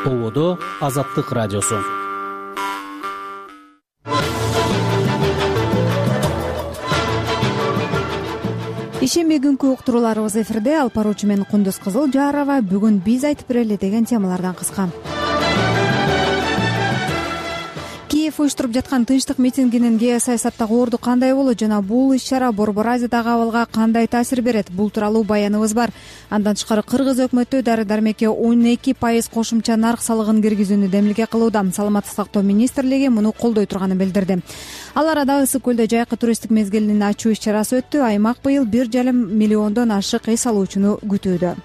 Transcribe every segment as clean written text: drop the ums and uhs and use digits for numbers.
Ободо Азаттык радиосу. Ишемби күнкү уктурууларыбыз эфирде. Алып баруучу мен Кундуз Кызылжарова. Бүгүн биз айтып берели деген темалардан кыска. Киев уюштуруп жаткан тынчтык митингинин геосаясаттагы орду кандай болот жана бул иш-чара Борбор Азиядагы абалга кандай таасир берет? Бул тууралуу баяныбыз бар. Андан тышкары Кыргыз өкмөтү дары-дармекке 12% кошумча нарк салыгын киргизүүнү демилге кылууда. Саламаттык сактоо министрлиги муну колдой турганын билдирди. Ал арада Ысык көлдө жайкы туристтик мезгилинин ачуу иш-чарасы өттү. Аймак быйыл 1,5 миллиондон ашык эс алуучуну күтүүдө.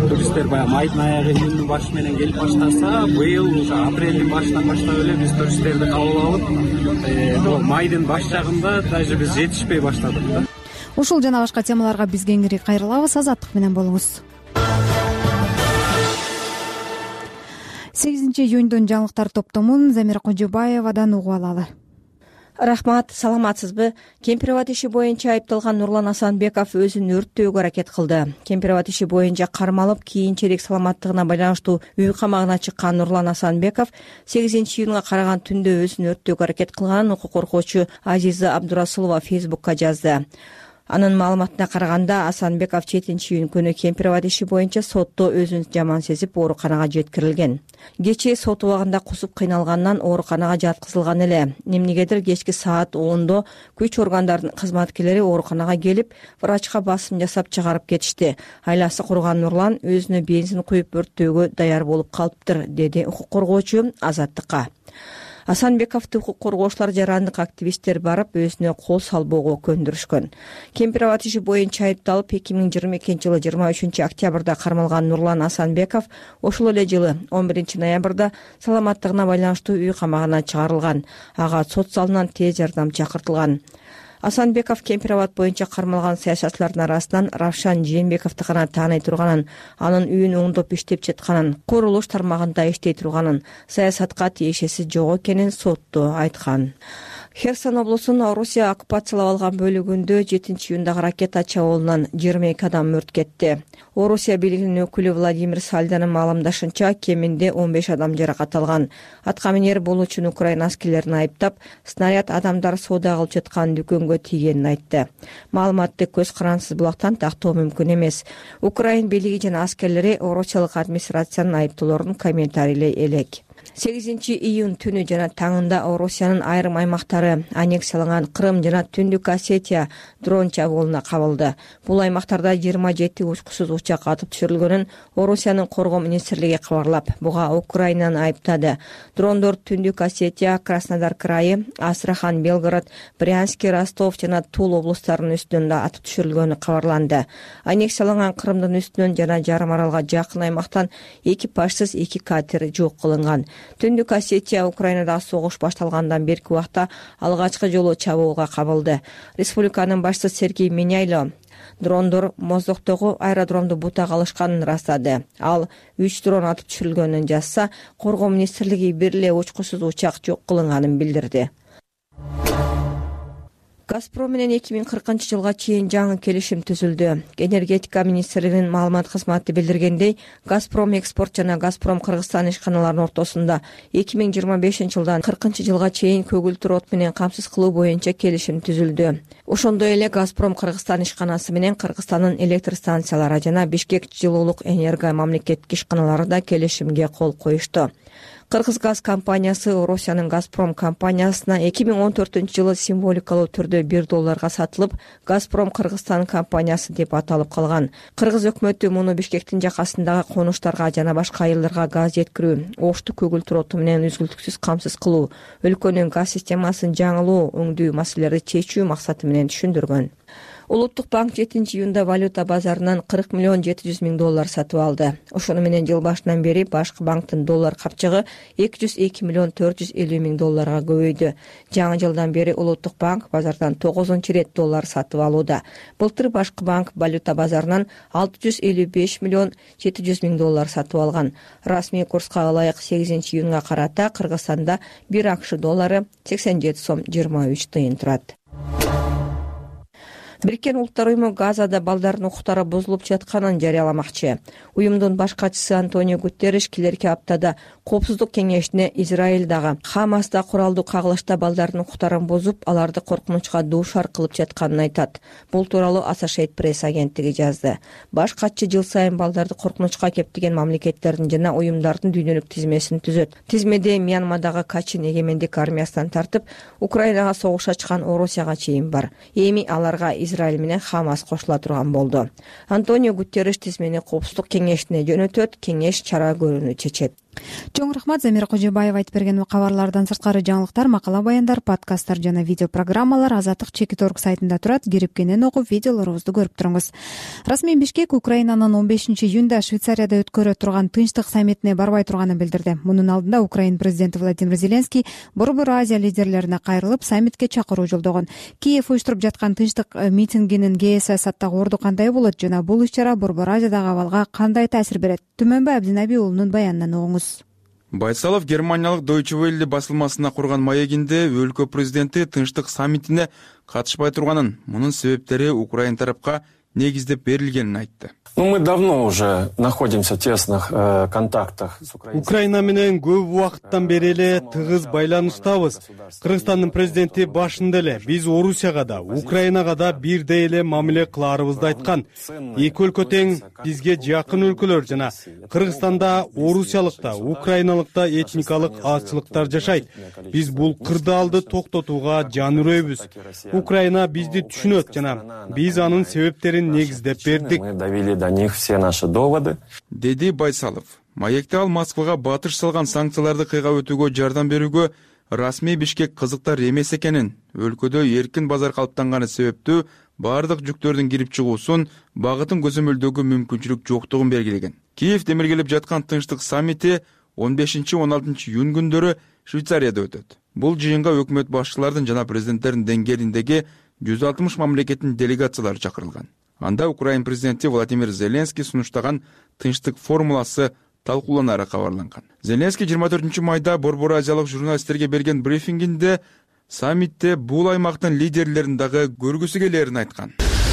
Туристтер баягы майдын аягы июндун башы менен келип баштаса, быйыл уже апрелдин башынан баштап эле биз туристтерди кабыл алып, майдын баш жагында даже биз жетишпей баштадык да. Ушул жана башка темаларга биз кеңири кайрылабыз. Азаттык менен болуңуз. 8 июндун жаңылыктар топтомун Замира Кожобаевадан угуп алалы. Рахмат, саламатсызбы? Кемпир-абад иши боюнча айыпталган Нурлан Асанбеков өзүн өрттөөгө аракет кылды. Кемпир-абад иши боюнча кармалып, кийинчерээк саламаттыгына байланыштуу үй камагына чыккан Нурлан Асанбеков 8 июнга караган түндө өзүн өрттөөгө аракет кылганын укук коргоочу Азиза Абдурасулова Фейсбукка жазды. Анын маалыматына караганда, Асанбеков 7 июнь күнү Кемпир-абад иши боюнча сотто өзүн жаман сезип ооруканага жеткирилген. Кечээ сот убагында кусуп кыйналгандан ооруканага жаткызылган эле. Эмнегедир кечки саат 10:00 күч органдарынын кызматкерлери ооруканага келип, врачка басым жасап чыгарып кетишти. Айласы курган Нурлан өзүнө бензин куюп өрттөөгө даяр болуп калыптыр, деди укук коргоочу Азаттыкка. Асанбековду укук коргоочулар, жарандык активисттер барып, өзүнө кол салбоого көндүрүшкөн. Кемпир-абад иши боюнча айыпталып 2022 жылы 23 октябрда кармалган Нурлан Асанбеков ошол эле жылы 11 ноябрда саламаттыгына байланыштуу үй камагына чыгарылган. Ага сот залынан тез жардам чакыртылган. Асанбеков Кемпир-абад боюнча кармалган саясатчылардын арасынан Равшан Жээнбековду гана тааный турганын, анын үйүн оңдоп иштеп жатканын, курулуш тармагында иштей турганын, саясатка тиешеси жок экенин сотто айткан. Херсон облусунун Орусия оккупациялап алган бөлүгүндө 7 июндагы ракета чабуулунан 22 адам өрт кетти. Орусия бийлигинин өкүлү Владимир Сальданын маалымдашынча, кеминде 15 адам жаракат алган. Аткаминер болуучун Украина аскерлерин айыптап, снаряд адамдар соода кылып жаткан дүкөнгө тийгенин айтты. Маалыматты көз карансыз булактан тактоо мүмкүн эмес. Украина бийлиги жана аскерлери орусиялык администрациянын айыптоолорун комментарийлей элек. 8 июнь түнү жана таңында Орусиянын айрым аймактары, аннексияланган Крым жана Түндүк Осетия дрон чабуулуна кабылды. Бул аймактарда 27 учкусуз учак атып түшүрүлгөнүн Орусиянын коргоо министрлиги кабарлап, буга Украинаны айыптады. Дрондор Түндүк Осетия, Краснодар крайы, Астрахан, Белгород, Брянск, Ростов жана Тул облустарынын үстүнөн да атып түшүрүлгөнү кабарланды. Аннексияланган Крымдын үстүнөн жана жарым аралга жакын аймактан экипажсыз 2 катер жок кылынган. Түндүк Осетия Украинада согуш башталгандан берки убакта алгачкы жолу чабуулга кабылды. Республиканын башчысы Сергей Меняйло дрондор Моздоктогу аэродромду бутага алышканын ырастады. Ал 3 дрон атып түшүрүлгөнүн жазса, коргоо министрлиги бир эле учкусуз учак жок кылынганын билдирди. Газпром менен 2040 жылга чейин жаңы келишим түзүлдү. Энергетика министрлигинин маалымат кызматы билдиргендей, Газпром экспорт жана Газпром Кыргызстан ишканаларынын ортосунда 2025 жылдан 40 жылга чейин көгүлтүр от менен камсыз кылуу боюнча келишим түзүлдү. Ошондой эле Газпром Кыргызстан ишканасы менен Кыргызстандын электр станциялары жана Бишкек жылуулук энерго мамлекеттик ишканалары да келишимге кол коюшту. Кыргызгаз компаниясы Орусиянын Газпром компаниясына 2014 жылы символикалуу түрдө $1 сатылып, Газпром Кыргызстан компаниясы деп аталып калган. Кыргыз өкмөтү муну Бишкектин жакасындагы конуштарга жана башка айылдарга газ жеткирүү, ошту көгүлтүр оту менен үзгүлтүксүз камсыз кылуу, өлкөнүн газ системасын жаңылоо, өңдүү маселелерди чечүү максаты менен түшүндүргөн. Улуттук банк 7 июнда валюта базарынан $40 700 сатып алды. Ошону менен жыл башынан бери башкы банктын доллар капчыгы $202 450 көбөйдү. Жаңы жылдан бери Улуттук банк базардан 9 рет доллар сатып алууда. Былтыр башкы банк валюта базарынан $655 700 сатып алган. Расмий курска ылайык 8 июнга карата Кыргызстанда 1 акш доллары 87 сом 23 тыйын турат. Бириккен Улуттар уюму Газада балдардын укуктары бузулуп жатканын жарыяламакчы. Уюмдун баш катчысы Антонио Гутерриш келерки аптада Коопсуздук кеңешине Израилдагы Хамаста куралдуу кагылышта балдардын укуктарын бузуп, аларды коркунучка дуушар кылып жатканын айтат. Бул тууралуу Associated Press агенттиги жазды. Баш катчы жыл сайын балдарды коркунучка кептеген мамлекеттердин жана уюмдардын дүйнөлүк тизмесин түзөт. Тизмеде Мьянмадагы Качин эгемендик армиясынан тартып, Украинага согуш ачкан Орусияга чейин бар. Эми аларга Израиль менен Хамас кошула турган болду. Антонио Гутерриш тизмени Коопсуздук кеңешине жөнөтөт, кеңеш чара көрүүнү чечет. Чоң рахмат, Замира Кожобаева айтып берген кабарлардан сырткары жаңылыктар, макала баяндар, подкасттар жана видео программалар Азаттык Чекит.org сайтында турат. Кирип кенен окуп, видеолорубузду көрүп туруңуз. Расмий Бишкек Украинанын 15-июнда Швейцарияда өткөрө турган Тынчтык саммитине барбай турганын билдирди. Мунун алдында Украина президенти Владимир Зеленский Борбор Азия лидерлерине кайрылып, саммитке чакыруу жолдогон. Киев уюштуруп жаткан Тынчтык митингинин саясаттагы орду кандай болот жана бул иш-чара Борбор Азиядагы абалга кандай таасир берет? Түмөнбай Абдинаби уулунун баянынан угуңуз. Байсалов германиялык Deutsche Welle басылмасына курган маегинде өлкө президенти Тынчтык саммитине катышпай турганын, мунун себептери Украина тарапка негиздеп берилгенин айтты. Мы давно уже находимся в тесных контактах с Украиной. Украина менен көп убакыттан бери эле тыгыз байланыштабыз. Кыргызстандын президенти башында эле биз Орусияга да, Украинага да бирдей эле мамиле кылаарыбызды айткан. Эки өлкө тең, бизге жакын өлкөлөр жана Кыргызстанда орусиялыкта, украиналыкта этникалык азчылыктар жашайт. Биз бул кырдаалды токтотууга жан үрөйбүз. Украина бизди түшүнөт жана биз анын себептерин негиздеп бердик. Мы довели до них все наши доводы. Деди Байсалов. Маекте ал Москвага батыш салган санкцияларды кыйга өтүүгө жардам берүүгө расмий Бишкек кызыктар эмес экенин, өлкөдө эркин базар калыптанганы себептүү баардык жүктөрдүн кирип чыгуусун, багытын көзөмөлдөгө мүмкүнчүлүк жоктугун белгилеген. Киев демиргелеп жаткан Тынчтык саммити 15-16 июнь күндөрү Швейцарияда өтөт. Бул жыйынга өкмөт башчылардын жана президенттердин деңгээлиндеги 160 мамлекеттин делегациялары чакырылган. Анда Украина президенти Владимир Зеленский сунуштаган Тынчтык формуласы талкууланары кабарланган. Зеленский 24 майда Борбор Азиялык журналисттерге берген брифингинде саммитте бул аймактын лидерлерин дагы көргүсү келерин айткан.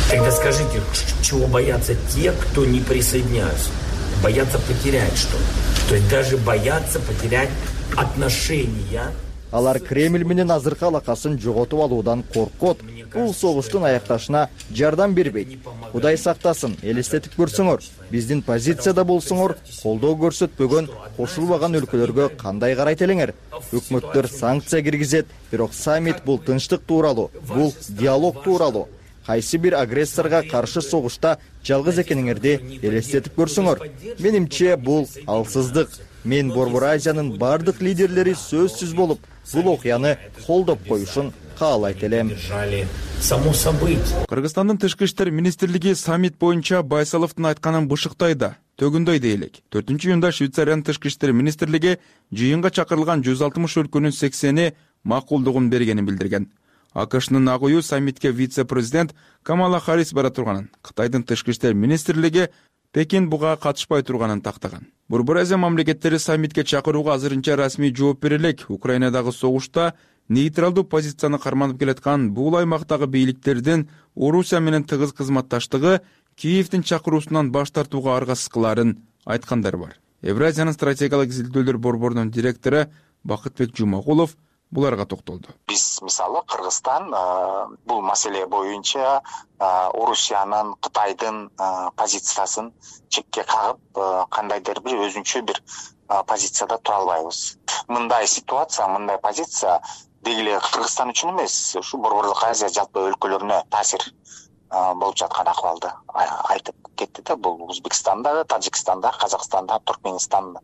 Тогда скажите, чего боятся те, кто не присоединяются? Боятся потерять что-то. То есть даже боятся потерять отношения. Алар Кремль менен азыркы алакасын жоготуп алуудан коркот. Бул согуштун аякташына жардам бербейт. Кудай сактасын, элестетип көрсөңөр, биздин позицияда болсоңор, колдоо көрсөтпөгөн, кошулбаган өлкөлөргө кандай карайт элеңер? Өкмөттөр санкция киргизет, бирок саммит бул тынчтык тууралуу, бул диалог тууралуу. Кайсы бир агрессорго каршы согушта жалгыз экениңерди элестетип көрсөңөр. Менимче бул алсыздык. Мен Борбор Азиянын бардык лидерлери сөзсүз болуп, бул окуяны колдоп коюшун каалайт элем. Кыргызстандын тышкы иштер министрлиги саммит боюнча Байсаловдун айтканын бышыктай да, төгүндөй да элек. 4-июнда Швейцариянын тышкы иштер министрлиги жыйынга чакырылган 160 өлкөнүн 80-и макулдугун бергенин билдирген. АКШнын ак үйү саммитке вице-президент Камала Харрис бара турганын, Кытайдын тышкы иштер министрлиги Пекин буга катышпай турганын тактаган. Борбор Азия мамлекеттери саммитке чакырууга азырынча расмий жооп бере элек. Украинадагы согушта нейтралдуу позицияны карманып келаткан бул аймактагы бийликтердин Орусия менен тыгыз кызматташтыгы Киевдин чакыруусунан баш тартууга аргасыз кылаарын айткандар бар. Евразиянын стратегиялык изилдөөлөр борборунун директору Бакытбек Жумагулов буларга токтолду. Биз мисалы Кыргызстан бул маселе боюнча Орусиянын, Кытайдын позициясын чекке кагып, кандайдыр бир өзүнчө бир позицияда тура албайбыз. Мындай ситуация, мындай позиция дегеле Кыргызстан үчүн эмес, ушу Борборлук Азия жалпы өлкөлөрүнө таасир болуп жаткан акыбалды айтып кетти да. Бул Өзбекстанда, Тажикстанда, Казакстанда, Туркменистанда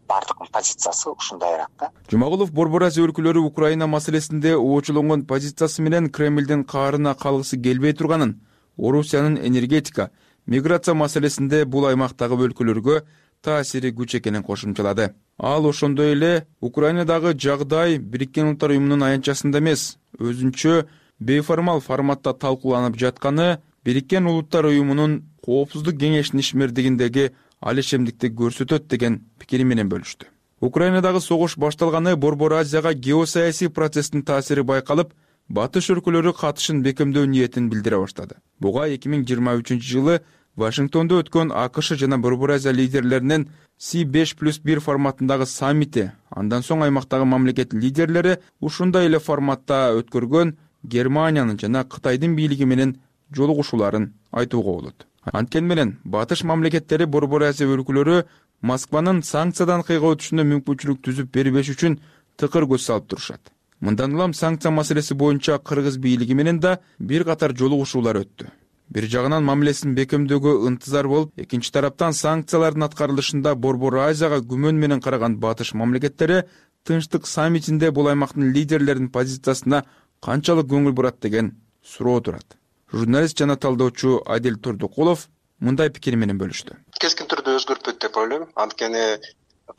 бардык позициясы ушундайраак да. Жумагулов Борбор Азия өлкөлөрү Украина маселесинде оочулонгон позициясы менен Кремлдин каарына калгысы келбей турганын, Орусиянын энергетика, миграция маселесинде бул аймактагы өлкөлөргө таасири күч экенин кошумчалады. Ал ошондой эле Украинадагы жагдай Бириккен Улуттар уюмунун аянтчасында эмес, өзүнчө бейформал форматта талкууланып жатканы Бириккен Улуттар уюмунун Коопсуздук кеңешинин ишмердигиндеги алишемдикти көрсөтөт деген пикири менен бөлүштү. Украинадагы согуш башталганы Борбор Азияга геосаясий процесстин таасири байкалып, батыш өлкөлөрү катышын бекемдөө ниетин билдире баштады. Буга 2023-жылы Вашингтондо өткөн АКШ жана Борбор Азия лидерлеринин C5+1 форматындагы саммити, андан соң аймактагы мамлекет лидерлери ушундай эле форматта өткөргөн Германиянын жана Кытайдын бийлиги менен жолугушууларын айтууга болот. Анткени менен батыш мамлекеттери Борбор Азия өлкөлөрү Москванын санкциядан кыйга өтүшүнө мүмкүнчүлүк түзүп бербеш үчүн тыкыр көз салып турушат. Мындан улам санкция маселеси боюнча кыргыз бийлиги менен да бир катар жолугушуулар өттү. Бир жагынан мамилесин бекемдөөгө ынтызар болуп, экинчи тараптан санкциялардын аткарылышында Борбор Азияга күмөн менен караган батыш мамлекеттери Тынчтык саммитинде бул аймактын лидерлеринин позициясына канчалык көңүл бурат деген суроо турат. Журналист жана талдоочу Адил Турдукулов мындай пикир менен бөлүштү. Кескин түрдө өзгөртпөйт деп ойлойм. Анткени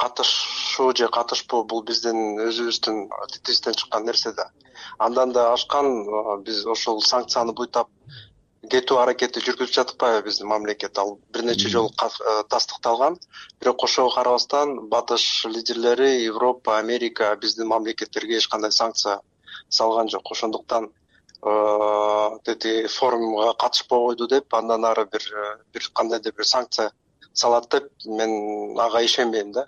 катышуу же катышпоо бул биздин өзүбүздүн тетигибизден чыккан нерсе да. Андан да ашкан биз ошол санкцияны буйтап кетүү аракети жүргүзүп жатпайбы биздин мамлекет. Ал бир нече жолу тастыкталган. Бирок ошого карабастан батыш лидерлери Европа, Америка биздин мамлекеттерге эч кандай санкция салган жок. Ошондуктан форумга катышпай койду деп андан ары бир кандайдыр бир санкция салат деп мен ага ишенбейм да.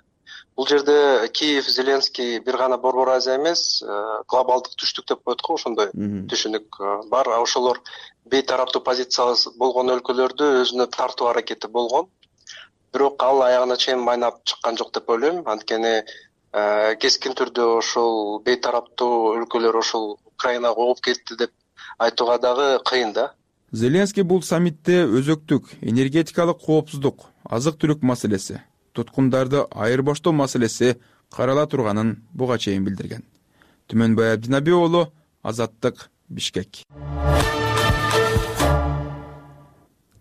Бул жерде Киев, Зеленский бир гана Борбор Азия эмес, глобалдык түштүк деп коет го, ошондой түшүнүк бар. Ошолор бейтараптуу позициясы болгон өлкөлөрдү өзүнө тартуу аракети болгон. Бирок ал аягына чейин майнап чыккан жок деп ойлойм. Анткени кескин түрдө ошол бейтараптуу өлкөлөр ошол Украинага ооп кетти деп айтууга дагы кыйын да. Зеленский бул саммитте өзөктүк энергетикалык коопсуздук, азык-түлүк маселеси, туткундарды айырбаштоо маселеси карала турганын буга чейин билдирген. Түмөнбай Абдинаби уулу, Азаттык, Бишкек.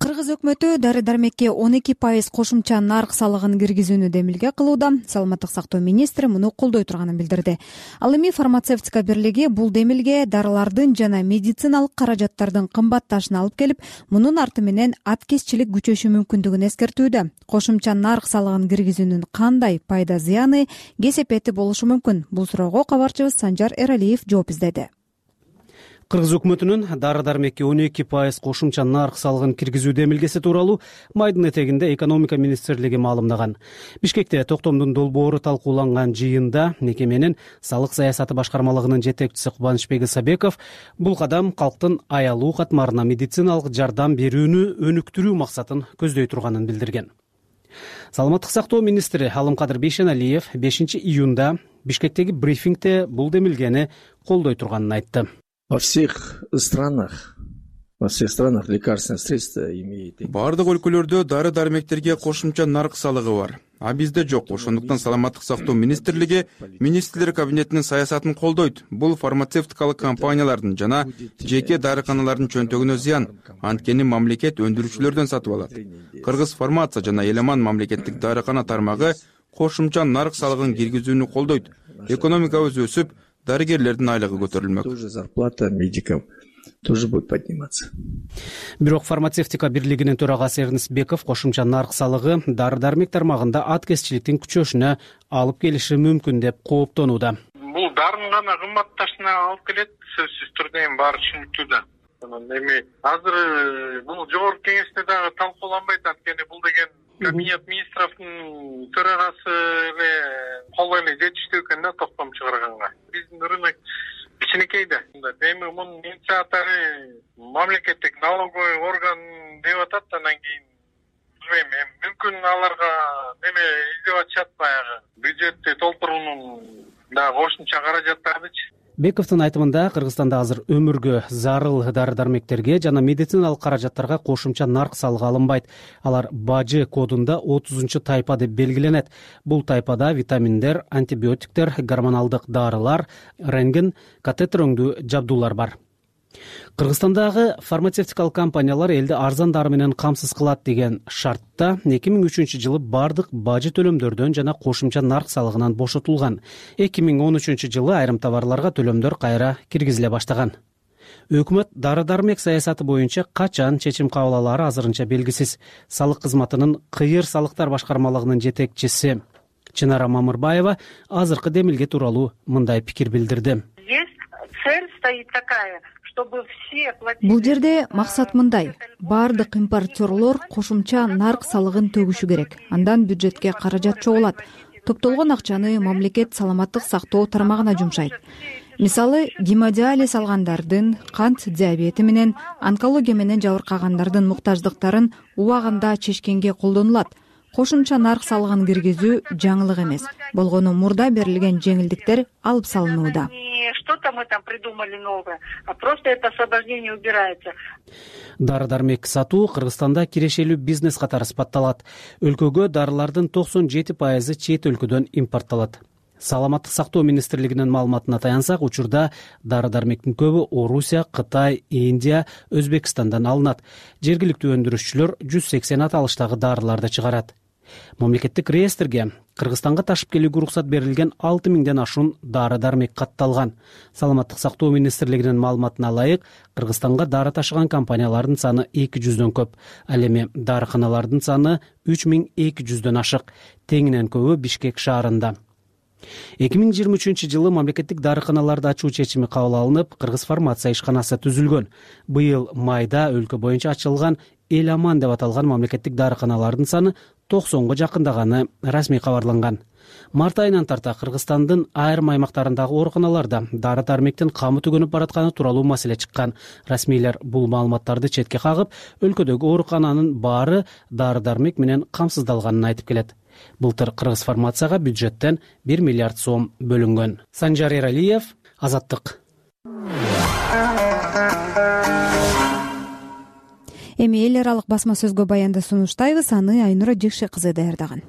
Кыргыз өкмөтү дары-дармекке 12% кошумча нарк салыгын киргизүүнү демилге кылууда. Саламаттык сактоо министри муну колдой турганын билдирди. Ал эми фармацевтика бирлиги бул демилге дарылардын жана медициналык каражаттардын кымбатташына алып келип, мунун арты менен аткезчилик күчөшү мүмкүндүгүн эскертүүдө. Кошумча нарк салыгын киргизүүнүн кандай пайда зыяны, кесепети болушу мүмкүн? Бул суроого кабарчыбыз Санжар Эралиев жооп издеди. Кыргыз өкмөтүнүн дары-дармекке 12% кошумча нарк салыгын киргизүү демилгеси тууралуу майдын этегинде экономика министрлиги маалымдаган. Бишкекте токтомдун долбоору талкууланган жыйында мекеменин салык саясаты башкармалыгынын жетекчиси Кубанычбек Исабеков бул кадам калктын аялуу катмарына медициналык жардам берүүнү өнүктүрүү максатын көздөй турганын билдирген. Саламаттык сактоо министри Алымкадыр Бейшеналиев 5-июнда Бишкектеги брифингде бул демилгени колдой турганын айтты. Во всех странах лекарственные средства имеют. Бардык өлкөлөрдө дары-дармектерге кошумча нарк салыгы бар. А бизде жок. Ошондуктан саламаттык сактоо министрлиги министрлер кабинетинин саясатын колдойт. Бул фармацевтикалык компаниялардын жана жеке дарыканалардын чөнтөгүнө зыян. Анткени мамлекет өндүрүүчүлөрдөн сатып алат. Кыргыз фармация жана Эламан мамлекеттик дарыкана тармагы кошумча нарк салыгын киргизүүнү колдойт. Экономикабыз өсүп, дарыгерлердин айлыгы көтөрүлмөк. Тоже зарплата медикам тоже будет подниматься. Бирок фармацевтика бирлигинин төрагасы Эрнест Беков кошумча нарк салыгы дары-дармек тармагында аткезчиликтин күчөшүнө алып келиши мүмкүн деп кооптонууда. Бул дарын гана кымбатташына алып келет, сөзсүз түрдө эми баары түшүнүктүү да. Эми азыр бул жогорку кеңеште дагы талкууланбайт, анткени бул деген кабинет министровдун төрагасы эле кол эле жетиштүү экен да токтом чыгарганга. Биздин рынок кичинекей да. Эми мунун инициатору мамлекеттик налоговый орган деп атат, анан кийин билбейм, мүмкүн аларга неме издеп атышат баягы бюджетти толтуруунун дагы кошумча каражаттардычы. Бековдун айтымында Кыргызстанда азыр өмүргө зарыл дары-дармектерге жана медициналык каражаттарга кошумча нарк салыгы алынбайт. Алар бажы кодунда 30-тайпа деп белгиленет. Бул тайпада витаминдер, антибиотиктер, гормоналдык дарылар, рентген, катетер өңдүү жабдуулар бар. Кыргызстандагы фармацевтикалык компаниялар элди арзан дары менен камсыз кылат деген шартта 2003-жылы бардык бажы төлөмдөрдөн жана кошумча нарк салыгынан бошотулган. 2013-жылы айрым товарларга төлөмдөр кайра киргизиле баштаган. Өкмөт дары-дармек саясаты боюнча качан чечим кабыл алары азырынча белгисиз. Салык кызматынын кыйыр салыктар башкармалыгынын жетекчиси Чынара Мамырбаева азыркы демилге тууралуу мындай пикир билдирди. Есть цель стоит такая, чтобы все платили. Бул жерде максат мындай: баардык импортерлор кошумча нарк салыгын төгүшү керек. Андан бюджетке каражат чогулат. Топтолгон акчаны мамлекет саламаттык сактоо тармагына жумшайт. Мисалы, гемодиализ алгандардын, кант диабети менен, онкология менен жабыркагандардын муктаждыктарын убагында чечкенге колдонулат. Кошумча нарк салыгын киргизүү жаңылык эмес. Болгону мурда берилген жеңилдиктер алып салынууда. Что-то мы там придумали новое, а просто это освобождение убирается. Дары-дармек сатуу Кыргызстанда кирешелүү бизнес катары сыпатталат. Өлкөгө дарылардын 97% чет өлкөдөн импортталат. Саламаттык сактоо министрлигинин маалыматына таянсак, учурда дары-дармектин көбү Орусия, Кытай, Индия, Өзбекстандан алынат. Жергиликтүү өндүрүшчүлөр 180 аталыштагы дарыларды чыгарат. Мамлекеттик реестрге Кыргызстанга ташып келүүгө уруксат берилген 6000ден ашуун дары-дармек катталган. Саламаттык сактоо министрлигинин маалыматына ылайык, Кыргызстанга дары ташыган компаниялардын саны 200дөн көп. Ал эми дарыканалардын саны 3200дөн ашык. Теңинен көбү Бишкек шаарында. 2023-жылы мамлекеттик дарыканаларды ачуу чечими кабыл алынып, Кыргыз фармация ишканасы түзүлгөн. Быйыл майда өлкө боюнча ачылган Эл Аман деп аталган мамлекеттик дарыканалардын саны 90го жакындаганы расмий кабарланган. Март айынан тарта Кыргызстандын айрым аймактарындагы ооруканаларда дары-дармектин камы түгөнүп баратканы тууралуу маселе чыккан. Расмийлер бул маалыматтарды четке кагып, өлкөдөгү оорукананын баары дары-дармек менен камсыздалганын айтып келет. Былтыр Кыргыз фармацияга бюджеттен 1 миллиард сом бөлүнгөн. Санжар Эралиев, Азаттык. Эми эл аралык басма сөзгө баянды сунуштайбыз, аны Айнура Жекше кызы даярдаган.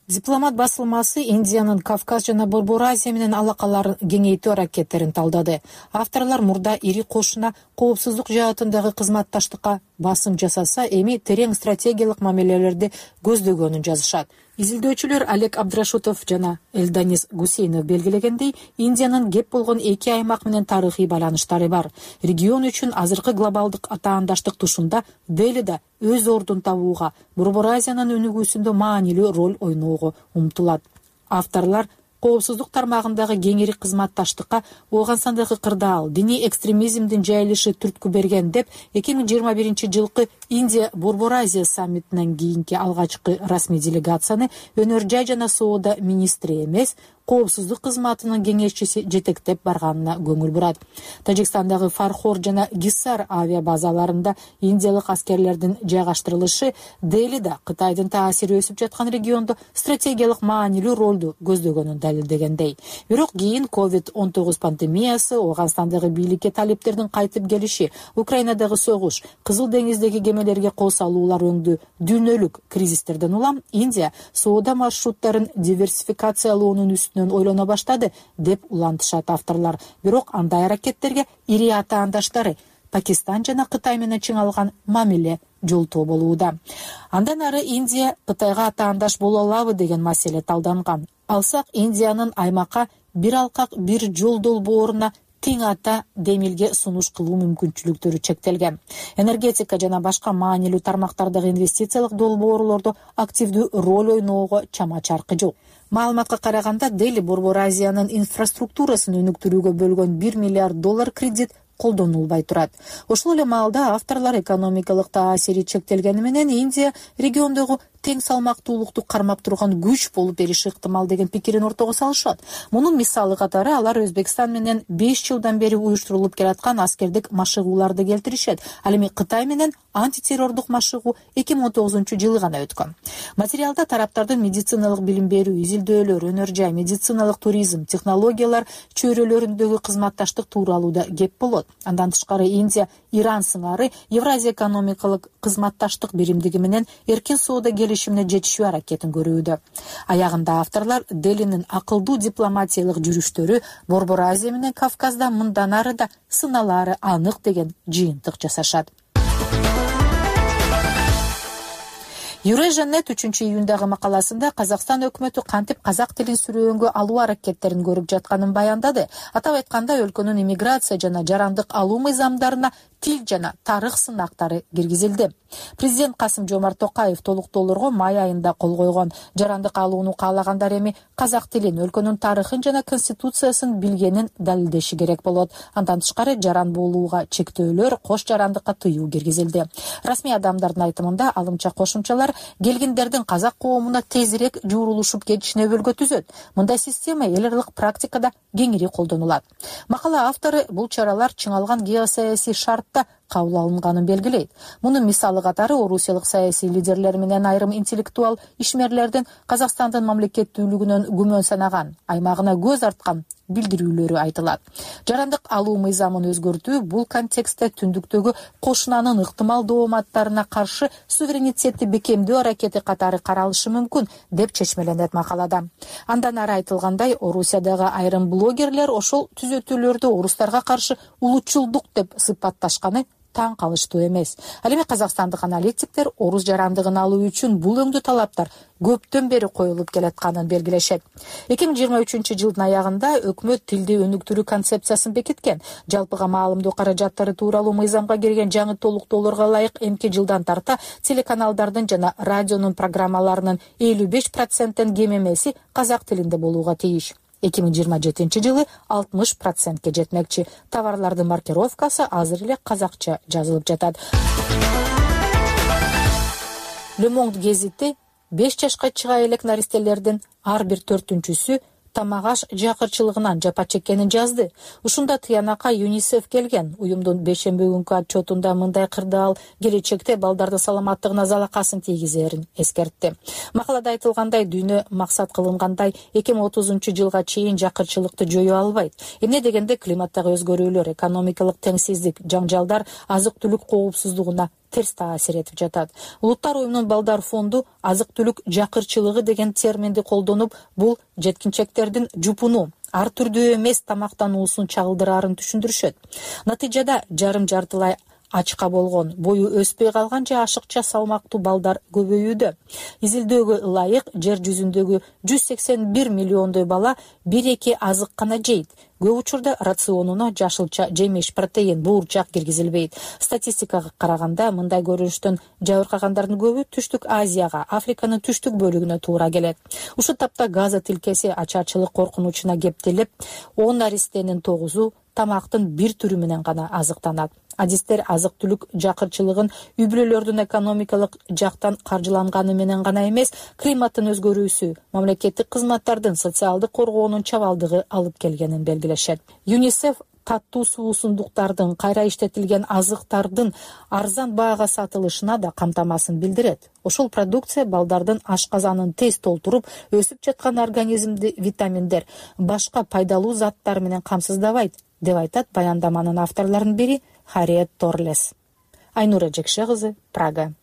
Дипломат басылмасы Индиянын Кавказ жана Борбор Азия менен алакаларын кеңейтүү аракеттерин талдады. Авторлор мурда ири кошуна коопсуздук жаатындагы кызматташтыкка басым жасаса, эми терең стратегиялык мамилелерди көздөгөнүн жазышат. Изилдөөчүлөр Олег Абдрашутов жана Элданис Гусейнов белгилегендей, Индиянын кеп болгон эки аймак менен тарыхый байланыштары бар. Регион үчүн азыркы глобалдык атаандаштык тушунда Дели да өз ордун табууга, Борбор Азиянын өнүгүүсүндө маанилүү роль ойноого умтулат. Авторлор коопсуздук тармагындагы кеңири кызматташтыкка Ооганстандагы кырдаал, диний экстремизмдин жайылышы түрткү берген деп 2021-жылкы Индия Борбор Азия саммитинен кийинки алгачкы расмий делегацияны өнөр жай жана соода министри эмес, коопсуздук кызматынын кеңешчиси жетектеп барганына көңүл бурат. Тажикстандагы Фархор жана Гиссар авиабазаларында индиялык аскерлердин жайгаштырылышы Делида Кытайдын таасири өсүп жаткан региондо стратегиялык маанилүү ролду көздөгөнүн далилдегендей. Бирок кийин COVID-19 пандемиясы, Ооганстандагы бийликке талиптердин кайтып келиши, Украинадагы согуш, Кызыл деңиздеги кемелерге кол салуулар өңдүү дүйнөлүк кризистерден улам Индия соода маршруттарын диверсификациялоонун ойлоно баштады деп улантышат авторлор. Бирок андай аракеттерге ири атаандаштары Пакистан жана Кытай менен чыңалган мамиле жолтоо болууда. Андан ары Индия Кытайга атаандаш боло алабы деген маселе талданган. Алсак, Индиянын аймакка бир алкак бир жол долбооруна тең ата демилге сунуш кылуу мүмкүнчүлүктөрү чектелген. Энергетика жана башка маанилүү тармактардагы инвестициялык долбоорлордо активдүү роль ойноого чама чаркы жок. Маалыматка караганда, Дели Борбор Азиянын инфраструктурасын өнүктүрүүгө бөлгөн 1 миллиард доллар кредит колдонулбай турат. Ошол эле маалда авторлор экономикалык таасири чектелгени менен Индия региондогу тең салмактуулукту кармап турган күч болуп бериши ыктымал деген пикирин ортого салышат. Мунун мисалы катары алар Өзбекстан менен 5 жылдан бери уюштурулуп келаткан аскердик машыгууларды келтиришет. Ал эми Кытай менен антитеррордук машыгуу 2019-жылы гана өткөн. Материалда тараптардын медициналык билим берүү, изилдөөлөр, өнөр жай, медициналык туризм, технологиялар чөйрөлөрүндөгү кызматташтык тууралуу да кеп болот. Андан тышкары Индия Иран сыңары Евразия экономикалык кызматташтык биримдиги менен эркин соода келишимине жетишүү аракетин көрүүдө. Аягында авторлор Делинин акылдуу дипломатиялык жүрүштөрү Борбор Азия менен Кавказда мындан ары да сыналары анык деген жыйынтык жасашат. Eurasian.net 3-июндагы макаласында Казакстан өкмөтү кантип казак тилин сүрөөнгө алуу аракеттерин көрүп жатканын баяндады. Атап айтканда, өлкөнүн иммиграция жана жарандык алуу мыйзамдарына тил жана тарых сынактары киргизилди. Президент Касым-Жомарт Токаев толуктоолорго май айында кол койгон. Жарандык алууну каалагандар эми казак тилин, өлкөнүн тарыхын жана конституциясын билгенин далилдеши керек болот. Андан тышкары жаран болууга чектөөлөр, кош жарандыкка тыюу киргизилди. Расмий адамдардын айтымында алымча кошумчалар келгиндердин казак коомуна тезирээк жуурулушуп кетишине өбөлгө түзөт. Мындай система эл аралык практикада кеңири колдонулат. Макала автору бул чаралар чыңалган геосаясий шартта кабыл алынганын белгилейт. Мунун мисалы катары орусиялык саясий лидерлер менен айрым интеллектуал ишмерлердин Казакстандын мамлекеттүүлүгүнөн күмөн санаган, аймагына көз арткан билдирүүлөрү айтылат. Жарандык алуу мыйзамын өзгөртүү бул контекстте түндүктөгү кошунанын ыктымал дооматтарына каршы суверенитетти бекемдөө аракети катары каралышы мүмкүн деп чечмеленет макалада. Андан ары айтылгандай, Орусиядагы айрым блогерлер ошол түзөтүүлөрдү орустарга каршы улутчулдук деп сыпатташканы таң калыштуу эмес. Ал эми казакстандык аналитиктер орус жарандыгын алуу үчүн бул өңдүү талаптар көптөн бери коюлуп келатканын белгилешет. 2023-жылдын аягында өкмөт тилди өнүктүрүү концепциясын бекиткен. Жалпыга маалымдоо каражаттары тууралуу мыйзамга кирген жаңы толуктоолорго ылайык эмки жылдан тарта телеканалдардын жана радионун программаларынын 55%тен кем эмеси казак тилинде болууга тийиш. 2027-жылы 60%ке жетмекчи. Товарлардын маркировкасы азыр эле казакча жазылып жатат. Le Monde гезити 5 жашка чыга элек наристелердин ар бир 4-түнчүсү тамак аш жакырчылыгынан жапа чеккенин жазды. Ушунда тыянакка ЮНИСЕФ келген. Уюмдун бейшемби күнкү отчетунда мындай кырдаал келечекте балдардын саламаттыгына залакасын тийгизерин эскертти. Макалада айтылгандай, дүйнө максат кылынгандай 2030-жылга чейин жакырчылыкты жоюу албайт. Эмне дегенде климаттагы өзгөрүүлөр, экономикалык теңсиздик, жаңжалдар азык-түлүк коопсуздугуна терс таасир этип жатат. Улуттар уюмунун балдар фонду азык-түлүк жакырчылыгы деген терминди колдонуп, бул жеткинчектердин жупуну, ар түрдүү эмес тамактануусун чагылдыраарын түшүндүрүшөт. Натыйжада жарым-жартылай ачка болгон, бою өспөй калган же ашыкча салмактуу балдар көбөйүүдө. Изилдөөгө ылайык жер жүзүндөгү 181 миллиондой бала 1-2 азык гана жейт. Көп учурда рационуна жашылча жемиш, протеин, буурчак киргизилбейт. Статистикага караганда мындай көрүнүштөн жабыркагандардын көбү Түштүк Азияга, Африканын түштүк бөлүгүнө туура келет. Ушул тапта Газа тилкеси ачарчылык коркунучуна кептелип, 10 наристенин 9-у тамактын бир түрү менен гана азыктанат. Адистер азык-түлүк жакырчылыгын үй-бүлөлөрдүн экономикалык жактан каржыланганы менен гана эмес, климаттын өзгөрүүсү, мамлекеттик кызматтардын социалдык коргоонун чабалдыгы алып келгенин белгилешет. ЮНИСЕФ таттуу суусундуктардын, кайра иштетилген азыктардын арзан баага сатылышына да камтамасын билдирет. Ошол продукция балдардын ашказанын тез толтуруп, өсүп жаткан организмди витаминдер, башка пайдалуу заттар менен камсыздабайт, деп айтат баяндаманын авторлорунун бири Харриет Торлес. Айнура Жекше кызы, Прага.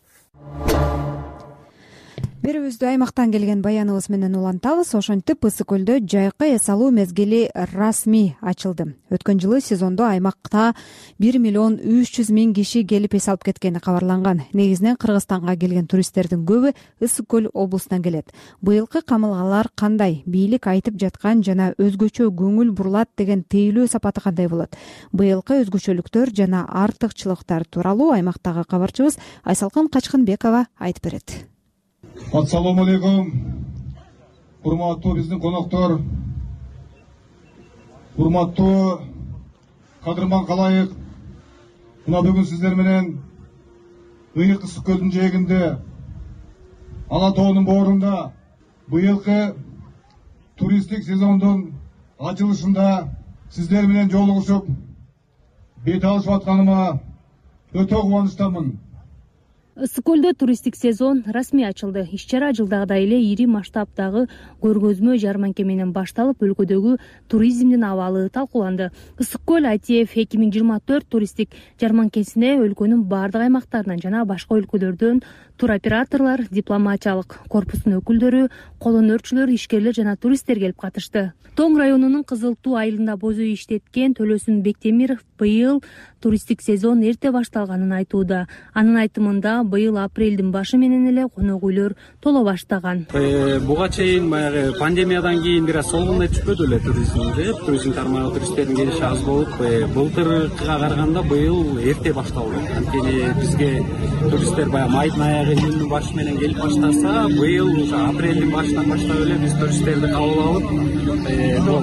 Берүүбүздү аймактан келген баяныбыз менен улантабыз. Ошентип Ысык көлдө жайкы эс алуу мезгили расмий ачылды. Өткөн жылы сезондо аймакта 1 миллион 300 миң киши келип эс алып кеткени кабарланган. Негизинен Кыргызстанга келген туристтердин көбү Ысык көл облусунан келет. Быйылкы камылгалар кандай? Бийлик айтып жаткан жана өзгөчө көңүл бурулат деген тейлөө сапаты кандай болот? Быйылкы өзгөчөлүктөр жана артыкчылыктар тууралуу аймактагы кабарчыбыз Айсалкын Качкынбекова айтып берет. Ассаламу алейкум. Урматтуу биздин коноктор, урматтуу кадырман калайык. Мына бүгүн сиздер менен Ыйык Ысык көлдүн жээгинде, Ала тоонун боорунда быйылкы туристтик сезондун ачылышында сиздер менен жолугушуп бет алышып атканыма өтө кубанычтамын. Ысык көлдө туристтик сезон расмий ачылды. Иш-чара жылдагыдай эле ири масштабдагы көргөзмө жарманке менен башталып, өлкөдөгү туризмдин абалы талкууланды. Ысык көл ITF 2024 туристтик жарманкесине өлкөнүн бардык аймактарынан жана башка өлкөлөрдөн туроператорлор, дипломатиялык корпустун өкүлдөрү, колөнөрчүлөр, ишкерлер жана туристтер келип катышты. Тоң районунун Кызыл Туу айылында бозой иштеткен Төлөсүн Бектемиров быйыл туристтик сезон эрте башталганын айтууда. Анын айтымында быйыл апрелдин башы менен эле конок үйлөр толо баштаган. Буга чейин баягы пандемиядан кийин бир аз солгундай түшпөдү эле туризмде. Туризм тармагы туристтердин келиши аз болуп, былтыркыга караганда быйыл эрте башталды. Анткени бизге туристтер баягы майдын аягы, июндун башы менен келип баштаса, быйыл уже апрелдин башынан баштап эле биз туристтерди кабыл алып,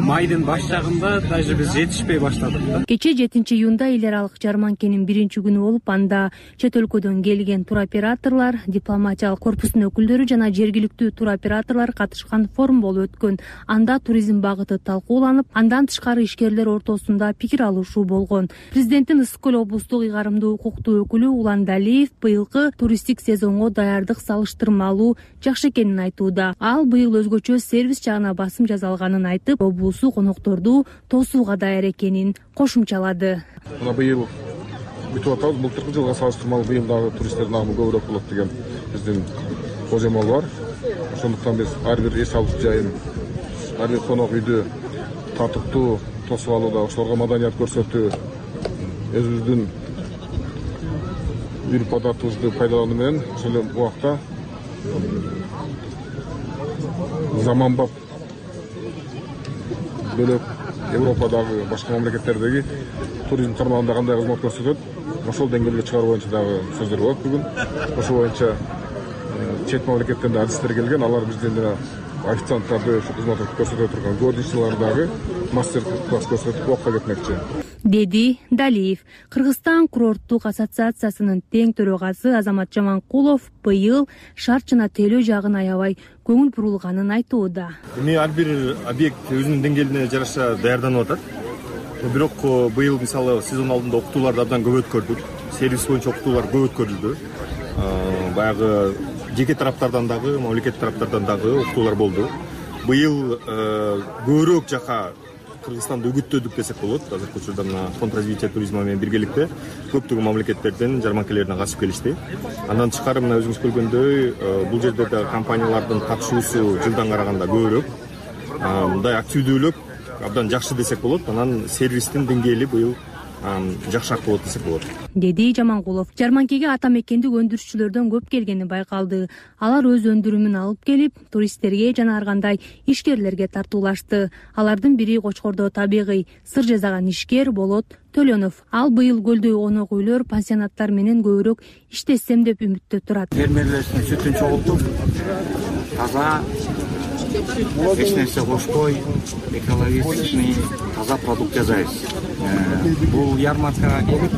майдын баш жагында даже биз жетишпей баштадык да. Кече 7-июнда эл аралык жарманкенин 1-күнү болуп, анда чет өлкөдөн келген туроператорлор, дипломатиялык корпустун өкүлдөрү жана жергиликтүү туроператорлор катышкан форум болуп өткөн. Анда туризм багыты талкууланып, андан тышкары ишкерлер ортосунда пикир алышуу болгон. Президенттин Ысык Көл облустук ыйгарымдуу укуктуу өкүлү Улан Далиев быйылкы туристтик сезонго даярдык салыштырмалуу жакшы экенин айтууда. Ал быйыл өзгөчө сервис жагына басым жасалганын айтып, облусу конокторду тосууга даяр экенин кошумчалады. Мына быйыл бүтүп атабыз. Былтыркы жылга салыштырмалуу быйыл дагы туристтердин агымы көбүрөөк болот деген биздин божомол бар. Ошондуктан биз ар бир эс алуу жайын, ар бир конок үйдү татыктуу тосуп алууда, ошолорго маданият көрсөтүү, өзүбүздүн үрп адатыбызды пайдалануу менен ошол эле убакта заманбап бөлөк Европадагы башка мамлекеттердеги туризм тармагында кандай кызмат көрсөтөт, ошол деңгээлге чыгаруу боюнча дагы сөздөр болот бүгүн. Ошол боюнча чет мамлекеттен да адистер келген, алар бизден жана официанттарды ушу кызмат көрсөтө турган горничныйлар дагы мастер-класс көрсөтүп окуга кетмекчи, деди Далиев. Кыргызстан курорттук ассоциациясынын тең төрагасы Азамат Жаманкулов быйыл шарт жана тейлөө жагын аябай көңүл бурулганын айтууда. Эми ар бир объект өзүнүн деңгээлине жараша даярданып атат. Бирок быйыл мисалы сезон алдында окутууларды абдан көп өткөрдүк. Сервис боюнча окутуулар көп өткөрүлдү. Баягы жеке тараптардан дагы, мамлекет тараптардан дагы окутуулар болду. Быйыл көбүрөөк жака Кыргызстанды үгүттөдүк десек болот. Азыркы учурда мына фонд развития туризма менен биргеликте көптөгөн мамлекеттерден жарманкелерине катышып келишти. Андан тышкары мына өзүңүз көргөндөй бул жерде да компаниялардын катышуусу жылдан караганда көбүрөөк. Мындай активдүүлүк абдан жакшы десек болот. Анан сервистин деңгээли быйыл жакшыраак болот десек болот, деди Жаманкулов. Жарманкеге ата мекендик өндүрүшчүлөрдөн көп келгени байкалды. Алар өз өндүрүмүн алып келип, туристтерге жана ар кандай ишкерлерге тартуулашты. Алардын бири Кочкордо табигый сыр жасаган ишкер Болот Төлөнов. Ал быйыл көлдө конок үйлөр, пансионаттар менен көбүрөөк иштесем деп үмүттө турат. Фермерлердин сүтүн чогултуп, таза, эч нерсе кошпой, экологичный таза продукт жасайбыз. Бул ярмаркага келип,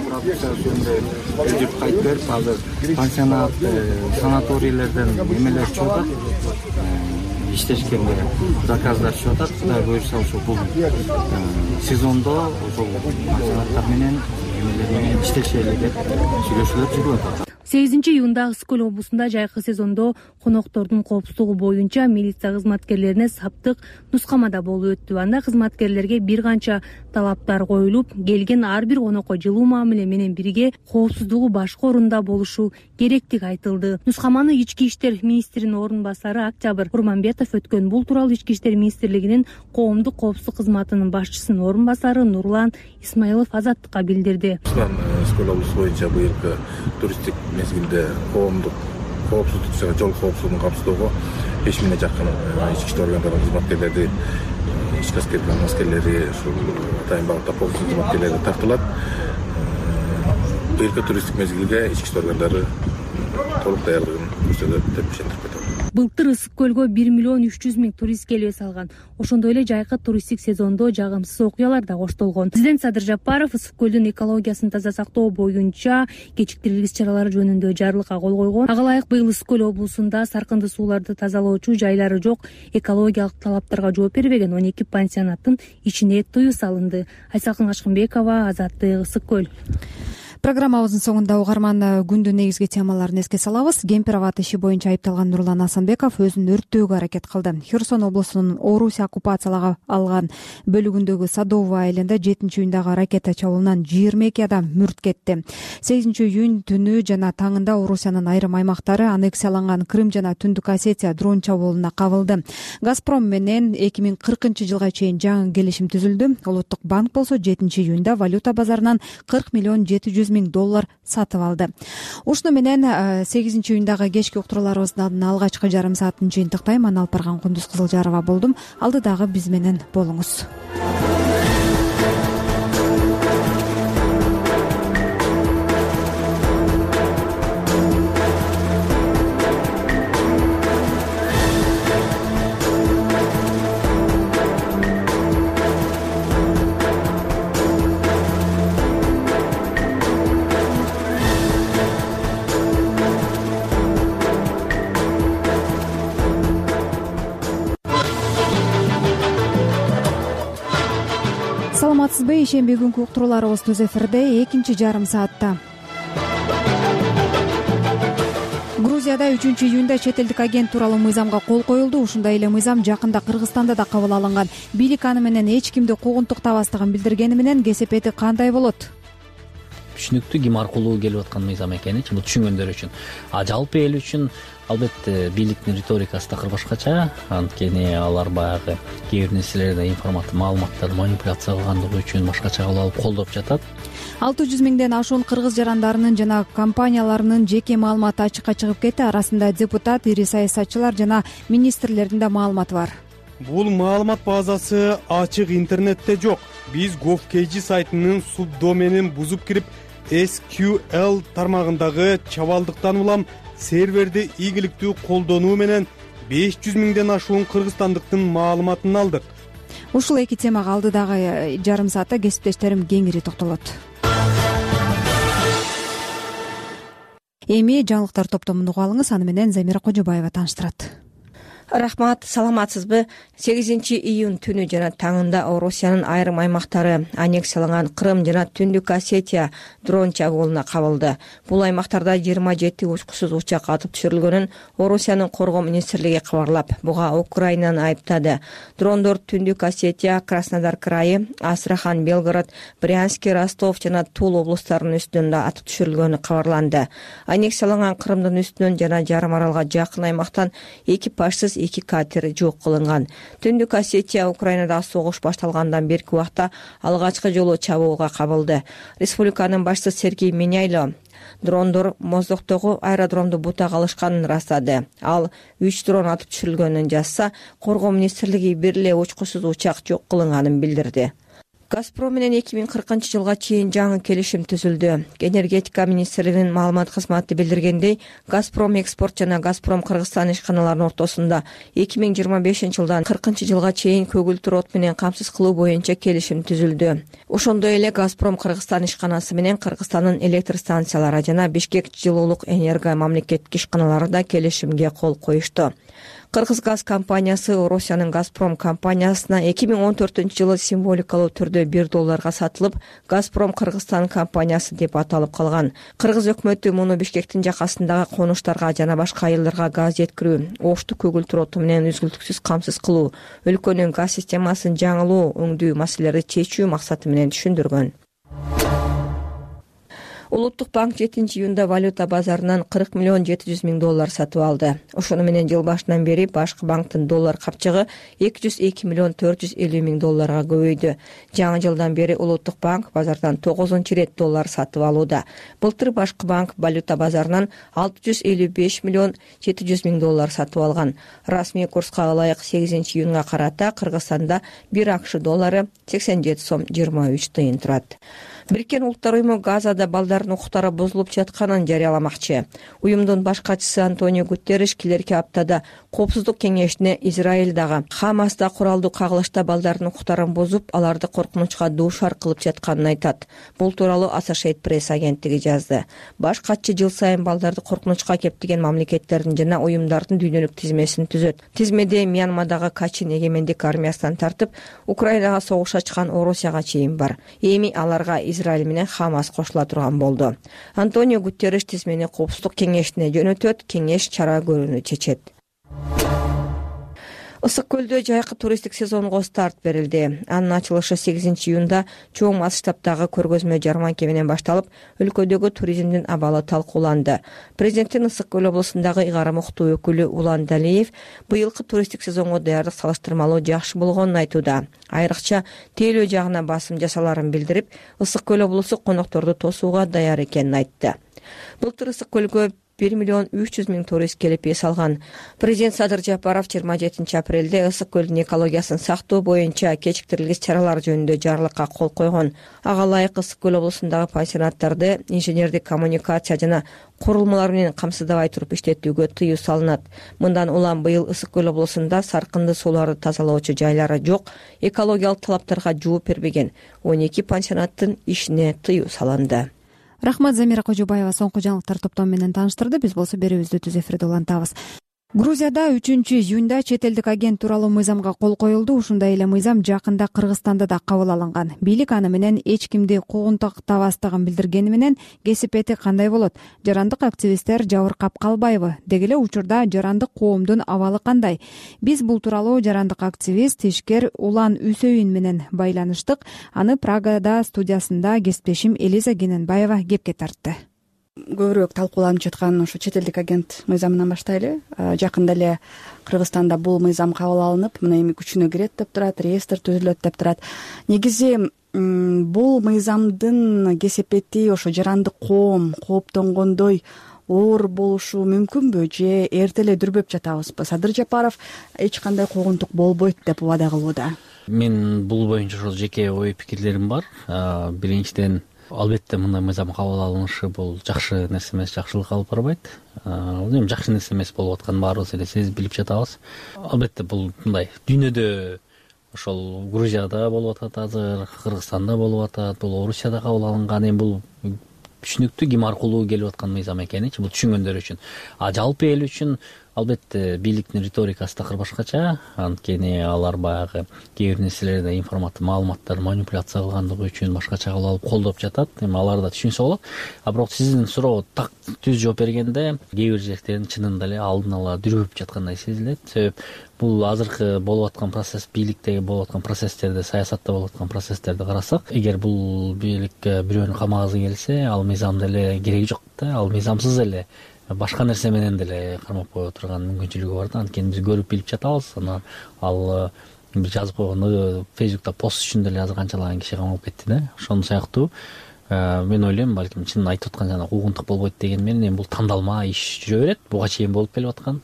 продукцияны өздүк кайтып берип, азыр пансионат, санаторийлерден эмелер чыгып атат. Иштешкенде заказдар чыгып атат. Кудай буюрса ошол бул сезондо ошол пансионаттар менен эмелер менен иштешели деп сүйлөшүүлөр жүрүп атат. 8-июнда Ысык Көл облусунда жайкы сезондо коноктордун коопсуздугу боюнча милиция кызматкерлерине саптык нускамада болуп өттү. Анда кызматкерлерге бир канча талаптар коюлуп, келген ар бир конокко жылуу мамиле менен бирге коопсуздугу башкы орунда болушу керектиги айтылды. Нускаманы Ички иштер министринин орун басары Октябрь Курманбетов өткөн. Бул тууралуу Ички иштер министрлигинин коомдук коопсуздук кызматынын башчысынын орун басары Нурлан Исмаилов Азаттыкка билдирди. Ысык Көл облусу боюнча быйылкы туристтик мезгилде коомдук коопсуздук жана жол коопсуздугун камсыздоого 5000 жакын ички иштер органдарынын кызматкерлери, ички аскерлери, ушул атайын багытта коопсуздук кызматкерлери тартылат. Быйылкы туристтик мезгилге ички иштер органдары толук даярдыгын көрсөтөт деп ишендирип кетем. Былтыр Ысык Көлгө 1.300.000 турист келип салган. Ошондой эле жайкы туристтик сезондо жагымсыз окуялар да коштолгон. Президент Садыр Жапаров Ысык Көлдүн экологиясын таза сактоо боюнча кечиктирилгис чаралары жөнүндө жарлыкка кол койгон. Ага ылайык быйыл Ысык Көл облусунда саркынды сууларды тазалоочу жайлары жок, экологиялык талаптарга жооп бербеген 12 пансионаттын ичине тыюу салынды. Айсалкын Качкынбекова, Азаттык, Ысык Көл. Программабыздын соңунда угарман күндүн негизги темаларын эске салабыз. Кемпир-абад иши боюнча айыпталган Нурлан Асанбеков өзүн өрттөөгө аракет кылды. Херсон облусунун Орусия оккупациялап алган бөлүгүндөгү Садовое айылында 7-июндагы ракета чабуулунан 22 адам мүрт кетти. 8-июнь түнү жана таңында Орусиянын айрым аймактары аннексияланган Крым жана Түндүк Осетия дрон чабуулуна кабылды. Газпром менен 2040-жылга чейин жаңы келишим түзүлдү. Улуттук банк болсо 7-июнда валюта базарынан $40 миллион $700 миң сатып алды. Ушуну менен 8-июндагы кечки уктурууларыбыздын алгачкы жарым саатын жыйынтыктайм. Аны алып барган Кундуз Кызылжарова болдум. Алдыдагы биз менен болуңуз. Саламатсызбы? Ишемби күнкү уктурууларыбыз Түз эфирде 2-чи жарым саатта. Грузияда 3-июнда чет элдик агент тууралуу мыйзамга кол коюлду. Ушундай эле мыйзам жакында Кыргызстанда да кабыл алынган. Бийлик аны менен эч кимди куугунтуктабастыгын билдиргени менен кесепети кандай болот? Түшүнүктүү, ким аркылуу келип аткан мыйзам экеничи бул түшүнгөндөр үчүн. Жалпы эл үчүн албетте бийликтин риторикасы такыр башкача. Анткени алар баягы кээ бир нерселерди маалыматтарды манипуляция кылгандыгы үчүн башкача кылып алып колдоп жатат. 600 миңден ашуун кыргыз жарандарынын жана компанияларынын жеке маалыматы ачыкка чыгып кетти. Арасында депутат, ири саясатчылар жана министрлердин да маалыматы бар. Бул маалымат базасы ачык интернетте жок. Биз gov.kg сайтынын субдоменин бузуп кирип SQL тармагындагы чабалдыктан улам серверди ийгиликтүү колдонуу менен 500 миңден ашуун кыргызстандыктын маалыматын алдык. Ушул эки темага алдыдагы жарым саатта кесиптештерим кеңири токтолот. Эми жаңылыктар топтомун угуп алыңыз, аны менен Замира Кожобаева тааныштырат. Рахмат, саламатсызбы? 8-июнь түнү жана таңында Орусиянын айрым аймактары аннексияланган Крым жана Түндүк Осетия дрон чабуулуна кабылды. Бул аймактарда 27 учкусуз учак атып түшүрүлгөнүн Орусиянын коргоо министрлиги кабарлап, буга Украинаны айыптады. Дрондор Түндүк Осетия, Краснодар крайы, Астрахан, Белгород, Брянск, Ростов жана Тул облустарынын үстүнөн да атып түшүрүлгөнү кабарланды. Аннексияланган Крымдын үстүнөн жана жарым аралга жакын аймактан экипажсыз 2 катер жок кылынган. Түндүк Осетия Украинада согуш башталгандан берки убакта алгачкы жолу чабуулга кабылды. Республиканын башчысы Сергей Меняйло дрондор Моздоктогу аэродромду бутак алышканын ырастады. Ал 3 дрон атып түшүрүлгөнүн жазса, коргоо министрлиги бир эле учкусуз учак жок кылынганын билдирди. Газпром менен 2040-жылга чейин жаңы келишим түзүлдү. Энергетика министрлигинин маалымат кызматы билдиргендей, Газпром экспорт жана Газпром Кыргызстан ишканаларынын ортосунда 2025-жылдан 40-жылга чейин көгүлтүр от менен камсыз кылуу боюнча келишим түзүлдү. Ошондой эле Газпром Кыргызстан ишканасы менен Кыргызстандын электр станциялары жана Бишкек жылуулук энерго мамлекеттик ишканалары да келишимге кол коюшту. Кыргыз газ компаниясы Орусиянын Газпром компаниясына 2014-жылы символикалуу түрдө $1 сатылып, Газпром Кыргызстан компаниясы деп аталып калган. Кыргыз өкмөтү муну Бишкектин жакасындагы конуштарга жана башка айылдарга газ жеткирүү, ошту көгүлтүр оту менен үзгүлтүксүз камсыз кылуу, өлкөнүн газ системасын жаңылоо, өңдүү маселелерди чечүү максаты менен түшүндүргөн. Улуттук банк 7-июнда валюта базарынан $40 миллион $700 миң сатып алды. Ошону менен жыл башынан бери башкы банктын доллар капчыгы $202 миллион $450 миң көбөйдү. Жаңы жылдан бери Улуттук банк базардан 9-чу рет доллар сатып алууда. Былтыр башкы банк валюта базарынан $655 миллион $700 миң сатып алган. Расмий курска ылайык 8-июнга карата Кыргызстанда 1 акш доллары 87 сом 23 тыйын турат. Бириккен Улуттар уюму Газада балдардын укуктары бузулуп жатканын жарыяламакчы. Уюмдун баш катчысы Антонио Гутерриш келерки аптада Коопсуздук кеңешине Израилдагы Хамаста куралдуу кагылышта балдардын укуктарын бузуп, аларды коркунучка дуушар кылып жатканын айтат. Бул тууралуу Associated Press агенттиги жазды. Баш катчы жыл сайын балдарды коркунучка кептеген мамлекеттердин жана уюмдардын дүйнөлүк тизмесин түзөт. Тизмеде Мьянмадагы Качин эгемендик армиясынан тартып, Украинага согуш ачкан Орусияга чейин бар. Эми аларга Израиль менен Хамас кошула турган болду. Антонио Гутерриш тизмени Коопсуздук кеңешине жөнөтөт, кеңеш чара көрүүнү чечет. Ысык көлдө жайкы туристтик сезонго старт берилди. Анын ачылышы 8-июнда чоң масштабдагы көргөзмө жарманке менен башталып, өлкөдөгү туризмдин абалы талкууланды. Президенттин Ысык көл облусундагы ыйгарым уктуу өкүлү Улан Далиев быйылкы туристтик сезонго даярдык салыштырмалуу жакшы болгонун айтууда. Айрыкча тейлөө жагына басым жасаларын билдирип, Ысык көл облусу конокторду тосууга даяр экенин айтты. Былтыр Ысык көлгө 1,3 миллион турист келип эс алган. Президент Садыр Жапаров 27 апрелде Ысык көлдүн экологиясын сактоо боюнча кечиктирилгис чаралар жөнүндө жарлыкка кол койгон. Ага ылайык Ысык көл облусундагы пансионаттарды инженердик коммуникация жана курулмалар менен камсыздабай туруп иштетүүгө тыюу салынат. Мындан улам быйыл Ысык көл облусунда саркынды сууларды тазалоочу жайлары жок, экологиялык талаптарга жооп бербеген 12 пансионаттын ишине тыюу салынды. Рахмат, Замира Кожобаева соңку жаңылыктар топтому менен тааныштырды. Биз болсо берүүбүздү түз эфирде улантабыз. Грузияда 3-июнда чет элдик агент тууралуу мыйзамга кол коюлду. Ушундай эле мыйзам жакында Кыргызстанда да кабыл алынган. Бийлик аны менен эч кимди куугунтуктабастыгын билдиргени менен кесипети кандай болот? Жарандык активисттер жабыркап калбайбы? Деги эле учурда жарандык коомдун абалы кандай? Биз бул тууралуу жарандык активист ишкер Улан Үсөйүн менен байланыштык. Аны Прагада студиясында кесиптешим Элиза Кененбаева кепке тартты. Көбүрөөк талкууланып жаткан ошо чет элдик агент мыйзамынан баштайлы. Жакында эле Кыргызстанда бул мыйзам кабыл алынып, мына эми күчүнө кирет деп турат, реестр түзүлөт деп турат. Негизи бул мыйзамдын кесепети ошо жарандык коом кооптонгондой оор болушу мүмкүнбү же эрте эле дүрбөп жатабызбы? Садыр Жапаров эч кандай куугунтук болбойт деп убада кылууда. Мен бул боюнча ошол жеке ой пикирлерим бар. Биринчиден, албетте мындай мыйзам кабыл алынышы бул жакшы нерсе эмес, жакшылыкка алып барбайт. Бул эми жакшы нерсе эмес болуп атканын баарыбыз эле сезип билип жатабыз. Албетте бул мындай дүйнөдө ошол Грузияда болуп атат азыр, Кыргызстанда болуп атат, бул Орусияда кабыл алынган. Эми бул түшүнүктүү ким аркылуу келип аткан мыйзам экеничи, бул түшүнгөндөр үчүн. Жалпы эл үчүн албетте бийликтин риторикасы такыр башкача. Анткени алар баягы кээ бир нерселерде маалыматтарды манипуляция кылгандыгы үчүн башкача кылып алып колдоп жатат. Эми алар да түшүнсө болот. Бирок сиздин суроого так түз жооп бергенде кээ бир жерден чынында эле алдын ала дүрбөп жаткандай сезилет. Себеп бул азыркы болуп аткан процесс, бийликтеги болуп аткан процесстерди, саясатта болуп аткан процесстерди карасак, эгер бул бийликке бирөөнү камагысы келсе, ал мыйзамда эле кереги жок да. Ал мыйзамсыз эле башка нерсе менен деле кармап кое турган мүмкүнчүлүгү бар да. Анткени биз көрүп билип жатабыз. Анан ал жазып койгон Facebook'та пост үчүн деле азыр канчалаган киши камалып кетти да. Ошону сыяктуу мен ойлойм, балким чын айтып аткан жана куугунтук болбойт деген менен эми бул тандалма иш жүрө берет. Буга чейин болуп келип аткан.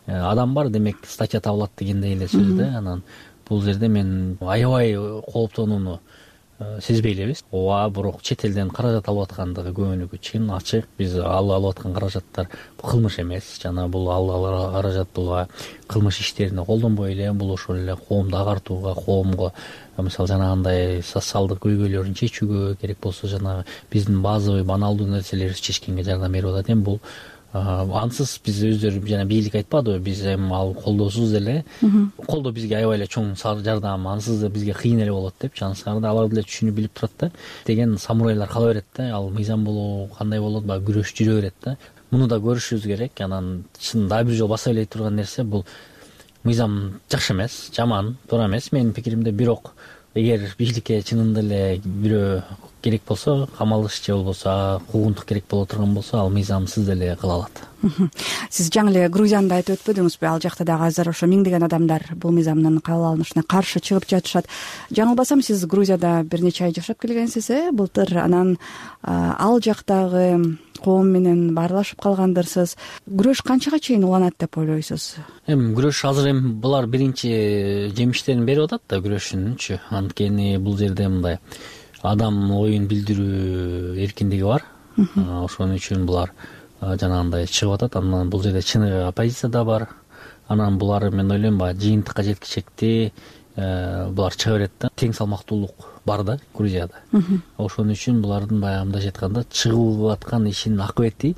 Адам бар, демек статья табылат дегендей эле сөз да. Анан бул жерде мен аябай кооптонууну сезбей элебиз. Ооба, бирок чет элден каражат алып аткандыгы көбүнүкү чын ачык. Биз алып аткан каражаттар кылмыш эмес. Жана бул алган каражат бул кылмыш иштерине колдонбой эле, бул ошол эле коомду агартууга, коомго мисалы жанагындай социалдык көйгөйлөрүн чечүүгө, керек болсо жанагы биздин базовый баналдуу нерселерди чечкенге жардам берип атат. Эми бул ансыз биз өздөрү жана бийлик айтпадыбы, биз эми ал колдоосуз эле, колдоо бизге аябай эле чоң жардам, ансыз да бизге кыйын эле болот деп чансырда алар деле түшүнүп билип турат да. Деген самурайлар кала берет да, ал мыйзам болобу, кандай болот, баягы күрөш жүрө берет да. Муну да көрүшүбүз керек. Анан чын дагы бир жолу баса элей турган нерсе, бул мыйзам жакшы эмес, жаман, туура эмес менин пикиримде. Бирок эгер бийликке чынында эле бирөө керек болсо, камалыш же болбосо куугунтук керек боло турган болсо, ал мыйзамсыз деле кыла алат. Сиз жаңы эле Грузияны айтып өтпөдүңүзбү? Ал жакта дагы азыр ошо миңдеген адамдар бул мыйзамдын кабыл алынышына каршы чыгып жатышат. Жаңылбасам, сиз Грузияда бир нече ай жашап келгенсиз, былтыр. Анан ал жактагы коом менен баарлашып калгандырсыз. Күрөш канчага чейин уланат деп ойлойсуз? Эми күрөш азыр эми булар биринчи жемиштерин берип атат да күрөшүнүнчү. Анткени бул жерде мындай адам оюн билдирүү эркиндиги бар. Ошон үчүн булар жанагындай чыгып атат. Анан бул жерде чыныгы оппозиция да бар. Анан булар мен ойлойм баягы жыйынтыкка жеткичекти булар чыга берет да. Тең салмактуулук бар да Грузияда. Ошон үчүн булардын баягы мындайча айтканда чыгып аткан ишинин акыбети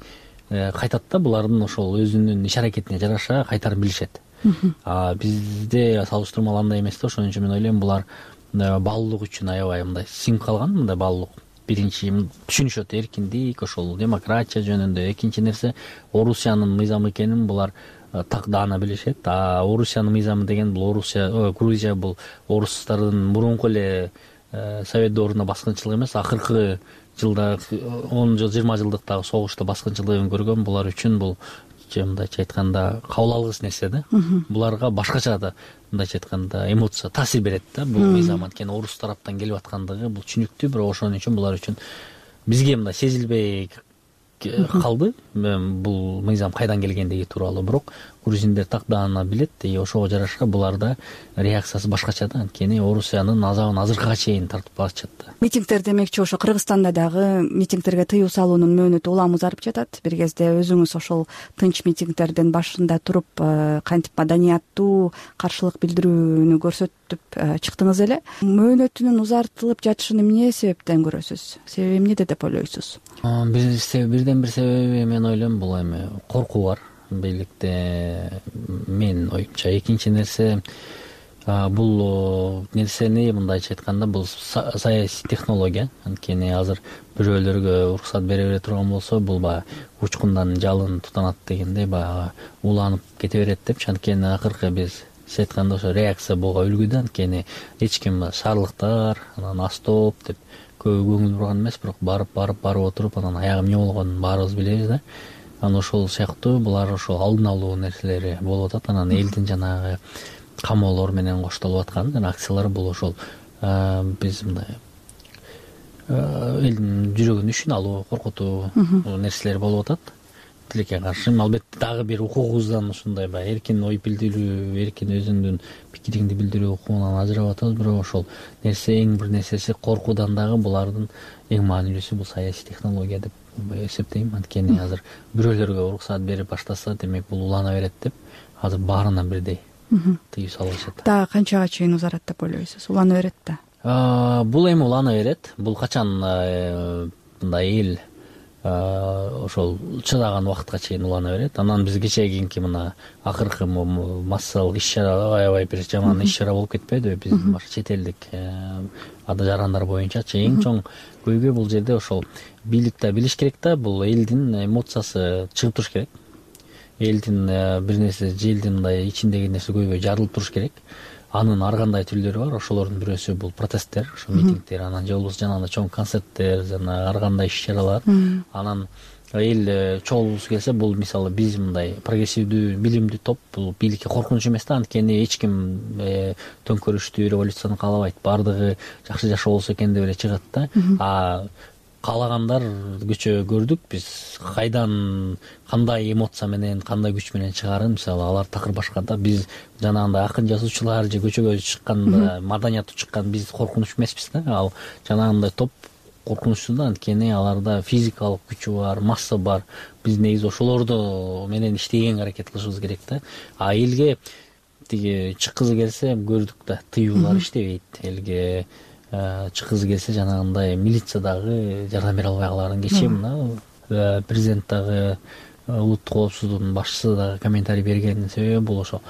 кайтат да. Булардын ошол өзүнүн иш аракетине жараша кайтарып билишет. Бизде салыштырмалуу андай эмес да. Ошон үчүн мен ойлойм булар баалуулук үчүн аябай мындай сиңип калган, мындай баалуулук. биринчи түшүнүшөт эркиндик, ошол демократия жөнүндө. Экинчи нерсе, Орусиянын мыйзамы экенин булар так даана билишет. А Орусиянын мыйзамы деген бул Грузия бул орустардын мурунку эле совет дооруна баскынчылык эмес, акыркы жылда 10 жыл 20 жылдыктагы согушта баскынчылыгын көргөн. Булар үчүн бул мындайча айтканда кабыл алгыс нерсе да. Буларга башкача да мындайча айтканда эмоция, таасир берет да бул мыйзам. Анткени орус тараптан келип аткандыгы бул түшүнүктүү, бирок ошон үчүн булар үчүн бизге мындай сезилбей калды бул мыйзам кайдан келгендиги тууралуу. Бирок грузиндер так даана билет, и ошого жараша буларда реакциясы башкача да. Анткени Орусиянын азабын азыркыга чейин тартып атышат да. Митингдер демекчи ошо Кыргызстанда дагы митингдерге тыюу салуунун мөөнөтү улам узарып жатат. Бир кезде өзүңүз ошол тынч митингдердин башында туруп кантип маданияттуу каршылык билдирүүнү көрсөтүп чыктыңыз эле. Мөөнөтүнүн узартылып жатышын эмне себептен көрөсүз? Себеби эмнеде деп ойлойсуз? Бирден бир себеби мен ойлойм бул эми коркуу бар бийликте, менин оюмча. Экинчи нерсе, бул нерсени мындайча айтканда бул саясий технология. Анткени азыр бирөөлөргө уруксат бере бере турган болсо, бул баягы учкундан жалын тутанат дегендей баягы уланып кете берет депчи. Анткени акыркы биз сиз айткандай ошо реакция болго үлгүдө. Анткени эч ким шаарлыктар, анан астоп деп көп көңүл бурган эмес, бирок барып отуруп анан аягы эмне болгонун баарыбыз билебиз да. Анан ошол сыяктуу булар ошол алдын алуу нерселери болуп атат. Анан элдин жанагы камоолор менен коштолуп аткан жана акциялар бул ошол биз мындай элдин жүрөгүн ишин алуу, коркутуу нерселер болуп атат. Тилекке каршы албетте дагы бир укугубуздан ушундай баягы эркин ой билдирүү, эркин өзүңдүн пикириңди билдирүү укугунан ажырап атабыз. Бирок ошол нерсе, эң бир нерсеси коркуудан дагы булардын эң маанилүүсү бул саясий технология деп эсептейм. Анткени азыр бирөөлөргө уруксат берип баштаса, демек бул улана берет деп азыр баарына бирдей тыюу салышат. Дагы канчага чейин узарат деп ойлойсуз? Улана берет да? Бул эми улана берет. Бул качан мындай эл ошол чыдаган убакытка чейин улана берет. Анан биз кечээкинки мына акыркы массалык иш-чара аябай бир жаман иш-чара болуп кетпедиби биздин чет элдик жарандар боюнчачы? Эң чоң көйгөй бул жерде ошол бийлик да билиш керек да, бул элдин эмоциясы чыгып туруш керек. Элдин бир нерсе, желдин мындай ичиндеги нерсе көйгөй жарылып туруш керек. Анын ар кандай түрлөрү бар. Ошолордун бирөөсү бул протесттер, ошо митингдер, анан же болбосо жанагындай чоң концерттер, жана ар кандай иш-чаралар. Анан эл чогулгусу келсе, бул мисалы биз мындай прогрессивдүү, билимдүү топ, бул бийликке коркунуч эмес да. Анткени эч ким төңкөрүштүү революцияны каалабайт. Баардыгы жакшы жашоо болсо экен деп эле чыгат да. А каалагандар көчө көрдүк биз кайдан, кандай эмоция менен, кандай күч менен чыгарын. Мисалы алар такыр башка да. Биз жанагындай акын жазуучулар же көчөгө чыкканда маданияттуу чыккан биз коркунуч эмеспиз да. Ал жанагындай топ коркунучсуз да. Анткени аларда физикалык күчү бар, масса бар. Биз негизи ошолорду менен иштегенге аракет кылышыбыз керек да. А элге тиги чыккызы келсе, көрдүк да, тыюулар иштебейт. Элге чыккызы келсе жанагындай милициядагы жардам бере албай каларын. Кечээ мына президент дагы, улуттук коопсуздуктун башчысы дагы комментарий бергенин себеби бул ошо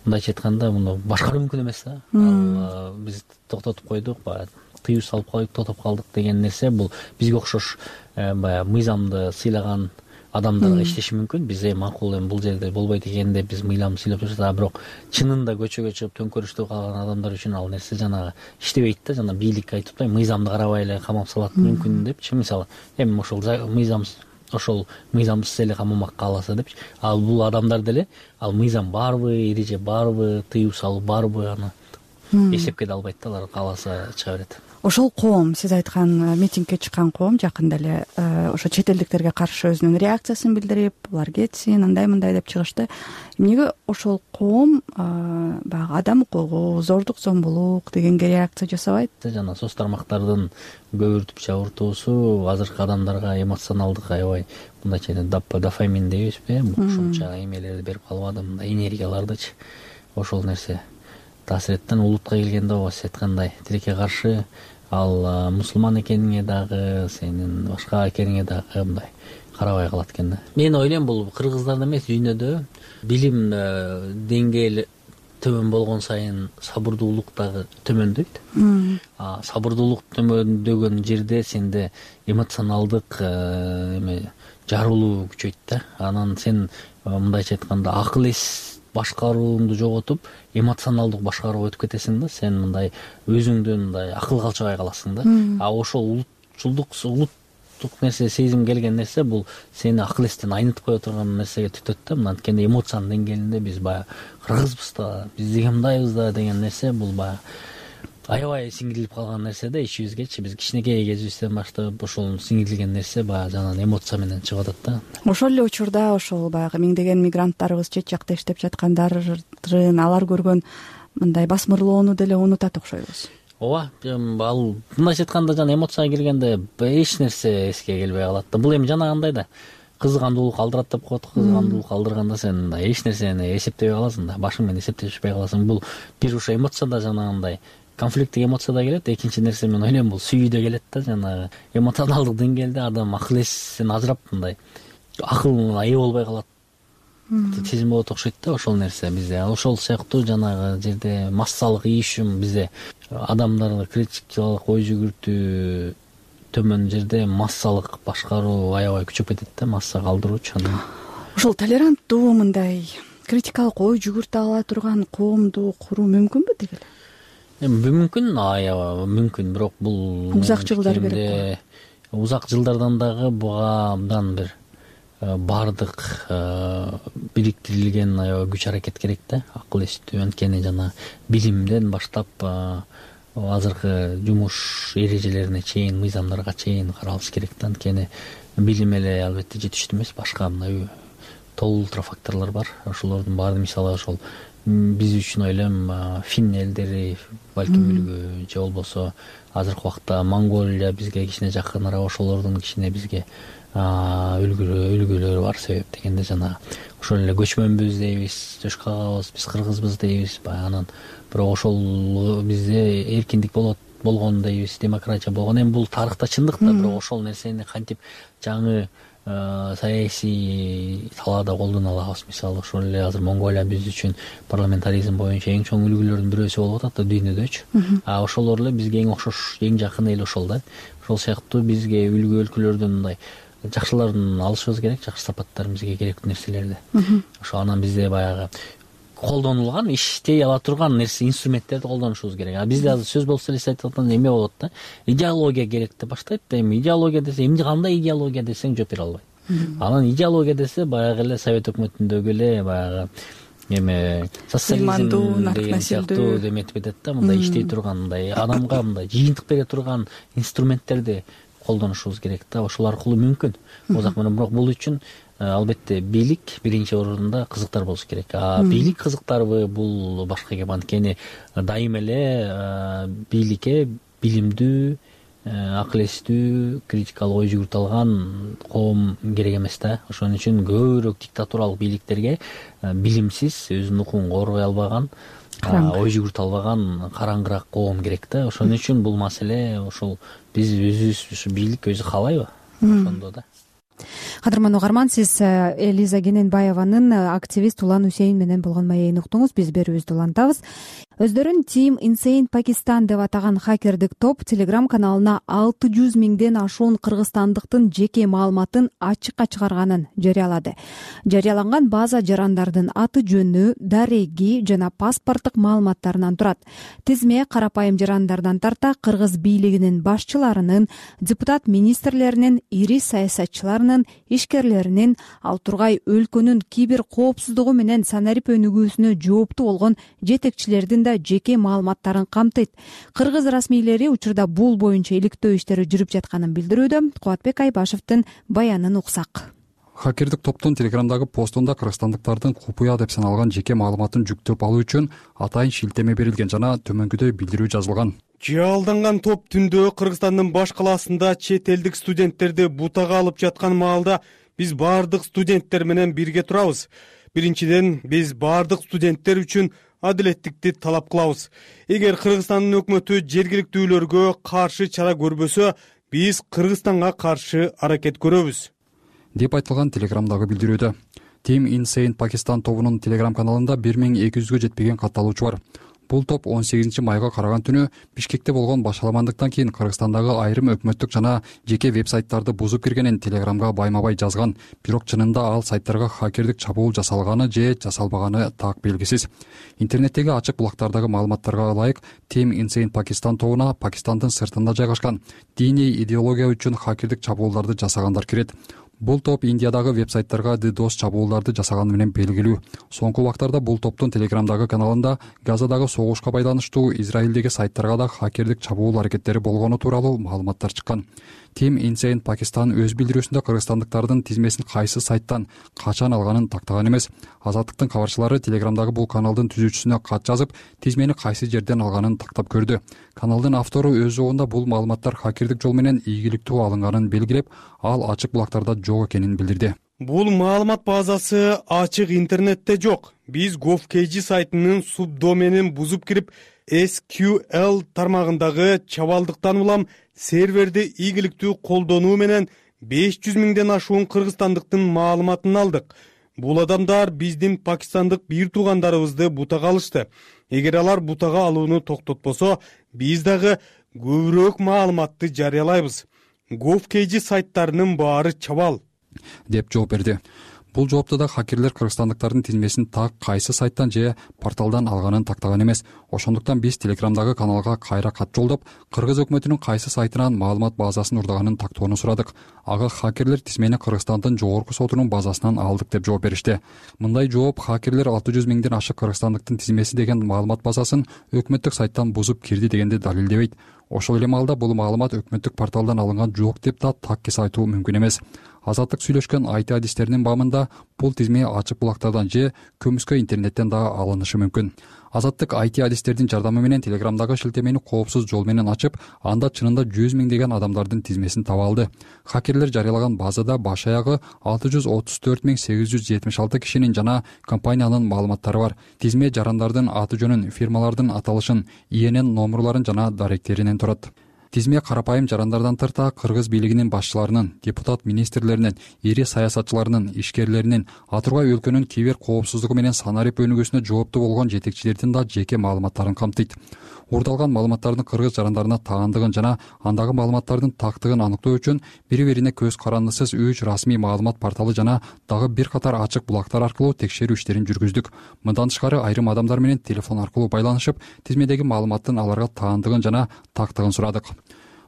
мындайча айтканда муну башкаруу мүмкүн эмес да. Ал биз токтотуп койдук, баягы тыюу салып койдук, токтоп калдык деген нерсе бул бизге окшош баягы мыйзамды сыйлаган адамдарга иштеши мүмкүн. Биз макул эми бул жерде болбойт экен деп биз мыйзамды сыйлап турсак, бирок чынында көчөгө чыгып төңкөрүштү каалаган адамдар үчүн ал нерсе жанагы иштебейт да. Жана бийлик айтып атпайбы, мыйзамды карабай эле камап салат мүмкүн депчи. Мисалы эми ошол мыйзамсыз эле камамак кааласа депчи. Ал бул адамдар деле ал мыйзам барбы, эреже барбы, тыюу салуу барбы, аны эсепке да албайт да. Алар кааласа чыга берет. Ошол коом, сиз айткан митингге чыккан коом жакында эле ошо чет элдиктерге каршы өзүнүн реакциясын билдирип, булар кетсин, андай мындай деп чыгышты. Эмнеге ошол коом баягы адам укугу, зордук зомбулук дегенге реакция жасабайт? Жана соц тармактардын көбүртүп жабыртуусу азыркы адамдарга эмоционалдык аябай мындайча дофамин дейбизби, кошумча эмелерди берип калбады, мындай энергиялардычы. Ошол нерсе таасир эттен. Улутка келгенде ооба сиз айткандай тилекке каршы ал мусулман экениңе дагы, сенин башка экениңе дагы мындай карабай калат экен да. Мен ойлойм бул кыргыздарда эмес, дүйнөдө билим деңгээли төмөн болгон сайын сабырдуулук дагы төмөндөйт. Сабырдуулук төмөндөгөн жерде сенде эмоционалдык жарылуу күчөйт да. Анан сен мындайча айтканда акыл эс башкарууңду жоготуп, эмоционалдык башкарууга өтүп кетесиң да. Сен мындай өзүңдөн мындай акылга алчабай каласың да. Ошол улуттук нерсе, сезим келген нерсе бул сени акыл эстен айнытып кое турган нерсеге түтөт да. Мына анткени эмоциянын деңгээлинде биз баягы кыргызбыз да, биз деге мындайбыз да деген нерсе бул баягы аябай сиңирилип калган нерсе да ичибизгечи. Биз кичинекей кезибизден баштап ошол сиңирилген нерсе баягы жанагы эмоция менен чыгып атат да. Ошол эле учурда ошол баягы миңдеген мигранттарыбыз чет жакта иштеп жаткандарын алар көргөн мындай басмырлоону деле унутат окшойбуз. Ооба, ал мындайча айтканда жана эмоцияга киргенде эч нерсе эске келбей калат да. Бул эми жанагындай да. Кызгандуулук алдырат деп коет. Кызгандуулук алдырганда сен эч нерсени эсептебей каласың да. Башың менен эсептешпей каласың. Бул бир ошо эмоцияда жанагындай конфликттик эмоцияда келет. Экинчи нерсе мен ойлойм бул сүйүүдө келет да. Жанагы эмоционалдык деңгээлде адам акыл эсин ажырап мындай акылына ээ болбой калат. Сезим болот окшойт да ошол нерсе бизде. Ошол сыяктуу жанагы жерде массалык ийишим бизде адамдарды критикалык ой жүгүртүү төмөн жерде массалык башкаруу аябай күчөп кетет да, масса калтыруучу. Ошол толеранттуу мындай критикалык ой жүгүртө ала турган коомду куруу мүмкүнбү деги эле? Эми мүмкүн, аябай мүмкүн, бирок бул узак жылдар керек. Узак жылдардан дагы буга абдан бир бардык бириктирилген аябай күч аракет керек да. Акыл эстүү, анткени жана билимден баштап азыркы жумуш эрежелерине чейин, мыйзамдарга чейин каралыш керек да. Анткени билим эле албетте жетиштүү эмес, башка мындай толуу факторлор бар. Ошолордун баары мисалы ошол биз үчүн ойлойм фин элдери балким үлгү, же болбосо азыркы убакта Монголия бизге кичине жакыныраак, ошолордун кичине бизге үлгүлөрү бар. Себеп дегенде жана ошол эле көчмөнбүз дейбиз, төш кагабыз, биз кыргызбыз дейбиз. Анан бирок ошол бизде эркиндик болгон дейбиз, демократия болгон. Эми бул тарыхта чындык да, бирок ошол нерсени кантип жаңы саясий талаада колдоно алабыз. Мисалы ошол эле азыр Монголия биз үчүн парламентаризм боюнча эң чоң үлгүлөрдүн бирөөсү болуп атат да дүйнөдөчү. Ошолор эле бизге эң окшош, эң жакын эл ошол да. Ошол сыяктуу бизге үлгү өлкөлөрдөн мындай жакшыларын алышыбыз керек, жакшы сапаттарын бизге керектүү нерселерди. Ошо анан бизде баягы колдонулган, иштей ала турган нерсе, инструменттерди колдонушубуз керек. Бизде азыр сөз болсо эле айтып атканда эме болот да. Идеология керек деп баштайт да. Эми идеология десе, эмне кандай идеология десең жооп бере албайт. Анан идеология десе баягы эле Совет өкмөтүндөгү эле баягы эме социализм деген сыяктуу деметип кетет да. Мындай иштей турган, мындай адамга мындай жыйынтык бере турган инструменттерди колдонушубуз керек да. Ошол аркылуу мүмкүн. Озак менен бирок бул үчүн албетте бийлик биринчи орунда кызыктар болуш керек. Бийлик кызыктарбы бул башка кеп, анткени дайыма эле бийликке билимдүү, акыл эстүү, критикалык ой жүгүртө алган коом керек эмес да. Ошон үчүн көбүрөөк диктатуралык бийликтерге билимсиз, өзүнүн укугун коргой албаган, ой жүгүртө албаган караңгыраак коом керек да. Ошон үчүн бул маселе ошол биз өзүбүз ушу бийлик өзү каалайбы? Ошондо да. Кадырман угарман, сиз Элиза Кененбаеванын активист Улан Усейн менен болгон маегин уктуңуз. Биз берүүбүздү улантабыз. Өздөрүн Team Insane Pakistan деп атаган хакердик топ Telegram каналына 600 миңден ашуун кыргызстандыктын жеке маалыматын ачыкка чыгарганын жарыялады. Жарыяланган база жарандардын аты жөнү, дареги жана паспорттук маалыматтарынан турат. Тизме карапайым жарандардан тарта кыргыз бийлигинин башчыларынын, депутат министрлеринин, ири саясатчыларынын, ишкерлеринин, ал тургай өлкөнүн кибер коопсуздугу менен санарип өнүгүүсүнө жооптуу болгон жетекчилердин жеке маалыматтарын камтыйт. Кыргыз расмийлери учурда бул боюнча иликтөө иштери жүрүп жатканын билдирүүдө. Кубатбек Айбашевдин баянын уксак. Хакердик топтун Телеграмдагы постунда кыргызстандыктардын купуя деп саналган жеке маалыматын жүктөп алуу үчүн атайын шилтеме берилген жана төмөнкүдөй билдирүү жазылган. Жалданган топ түндө Кыргызстандын баш калаасында чет элдик студенттерди бутага алып жаткан маалда биз баардык студенттер менен бирге турабыз. Биринчиден, биз баардык студенттер үчүн адилеттикти талап кылабыз. Эгер Кыргызстандын өкмөтү жергиликтүүлөргө каршы чара көрбөсө, биз Кыргызстанга каршы аракет көрөбүз, деп айтылган Телеграмдагы билдирүүдө. Team Insane Pakistan тобунун Telegram каналында 1200-гө жетпеген катталуучу бар. Бул топ 18 майга караган түнү Бишкекте болгон башаламандыктан кийин Кыргызстандагы айрым өкмөттүк жана жеке веб-сайттарды бузуп киргенин Telegramга байма-бай жазган. Бирок чынында ал сайттарга хакердик чабуул жасалганы же жасалбаганы так белгисиз. Интернеттеги ачык булактардагы маалыматтарга ылайык Team Insane Pakistan тобуна Пакистандын сыртында жайгашкан диний идеология үчүн хакердик чабуулдарды жасагандар кирет. Бул топ Индиядагы веб-сайттарга DDoS чабуулдарды жасаганы менен белгилүү. Соңку убактарда бул топтун Telegramдагы каналында Газадагы согушка байланыштуу Израилдеги сайттарга да хакердик чабуул аракеттери болгону тууралуу маалыматтар чыккан. Team Insane Pakistan өз билдирүүсүндө кыргызстандыктардын тизмесин кайсы сайттан качан алганын тактаган эмес. Азаттыктын кабарчылары Telegramдагы бул каналдын түзүүчүсүнө кат жазып, тизмени кайсы жерден алганын тактап көрдү. Каналдын автору өз жобунда бул маалыматтар хакердик жол менен ийгиликтүү алынганын белгилеп, ал ачык булактарда жок экенин билдирди. Бул маалымат базасы ачык интернетте жок. Биз GovKG сайтынын субдоменин бузуп кирип, SQL тармагындагы чабалдыктан улам серверди ийгиликтүү колдонуу менен 500 миңден ашуун кыргызстандыктын маалыматын алдык. Бул адамдар биздин пакистандык бир туугандарыбызды бутага алышты. Эгер алар бутага алууну токтотпосо, биз дагы көбүрөөк маалыматты жарыялайбыз. GovKG сайттарынын баары чабал, деп жооп берди. Бул жоопто да хакерлер кыргызстандыктардын тизмесин так кайсы сайттан же порталдан алганын тактаган эмес. Ошондуктан биз Telegramдагы каналга кайра кат жолдоп, кыргыз өкмөтүнүн кайсы сайтынан маалымат базасын урдаганын тактоону сурадык. Ага хакерлер тизмени Кыргызстандын жогорку сотунун базасынан алдык деп жооп беришти. Мындай жооп хакерлер 600 миңден ашык кыргызстандыктын тизмеси деген маалымат базасын өкмөттүк сайттан бузуп кирди дегенди далилдебейт. Ошол эле маалда бул маалымат өкмөттүк порталдан алынган жок деп да таккис айтуу мүмкүн эмес. Азаттык сүйлөшкөн IT адистеринин баамында бул тизме ачык булактардан же көмүскө интернеттен да алынышы мүмкүн. Азаттык IT адистердин жардамы менен Telegramдагы шилтемени коопсуз жол менен ачып, анда чынында 100 миңдеген адамдардын тизмесин таба алды. Хакерлер жарыялаган базада баш аягы 634.876 кишинин жана компаниянын маалыматтары бар. Тизме жарандардын аты жөнүн, фирмалардын аталышын, ИНН номурларын жана даректеринен турат. Тизме карапайым жарандардан тарта кыргыз бийлигинин башчыларынын, депутат министрлеринин, ири саясатчыларынын, ишкерлеринин, атургай өлкөнүн кибер коопсуздугу менен санарип өнүгүүсүнө жооптуу болгон жетекчилердин да жеке маалыматтарын камтыйт. Урдалган маалыматтардын кыргыз жарандарына таандыгын жана андагы маалыматтардын тактыгын аныктоо үчүн бири-бирине көз карандысыз 3 расмий маалымат порталы жана дагы бир катар ачык булактар аркылуу текшерүү иштерин жүргүздүк. Мындан тышкары айрым адамдар менен телефон аркылуу байланышып, тизмедеги маалыматтын аларга таандыгын жана тактыгын сурадык.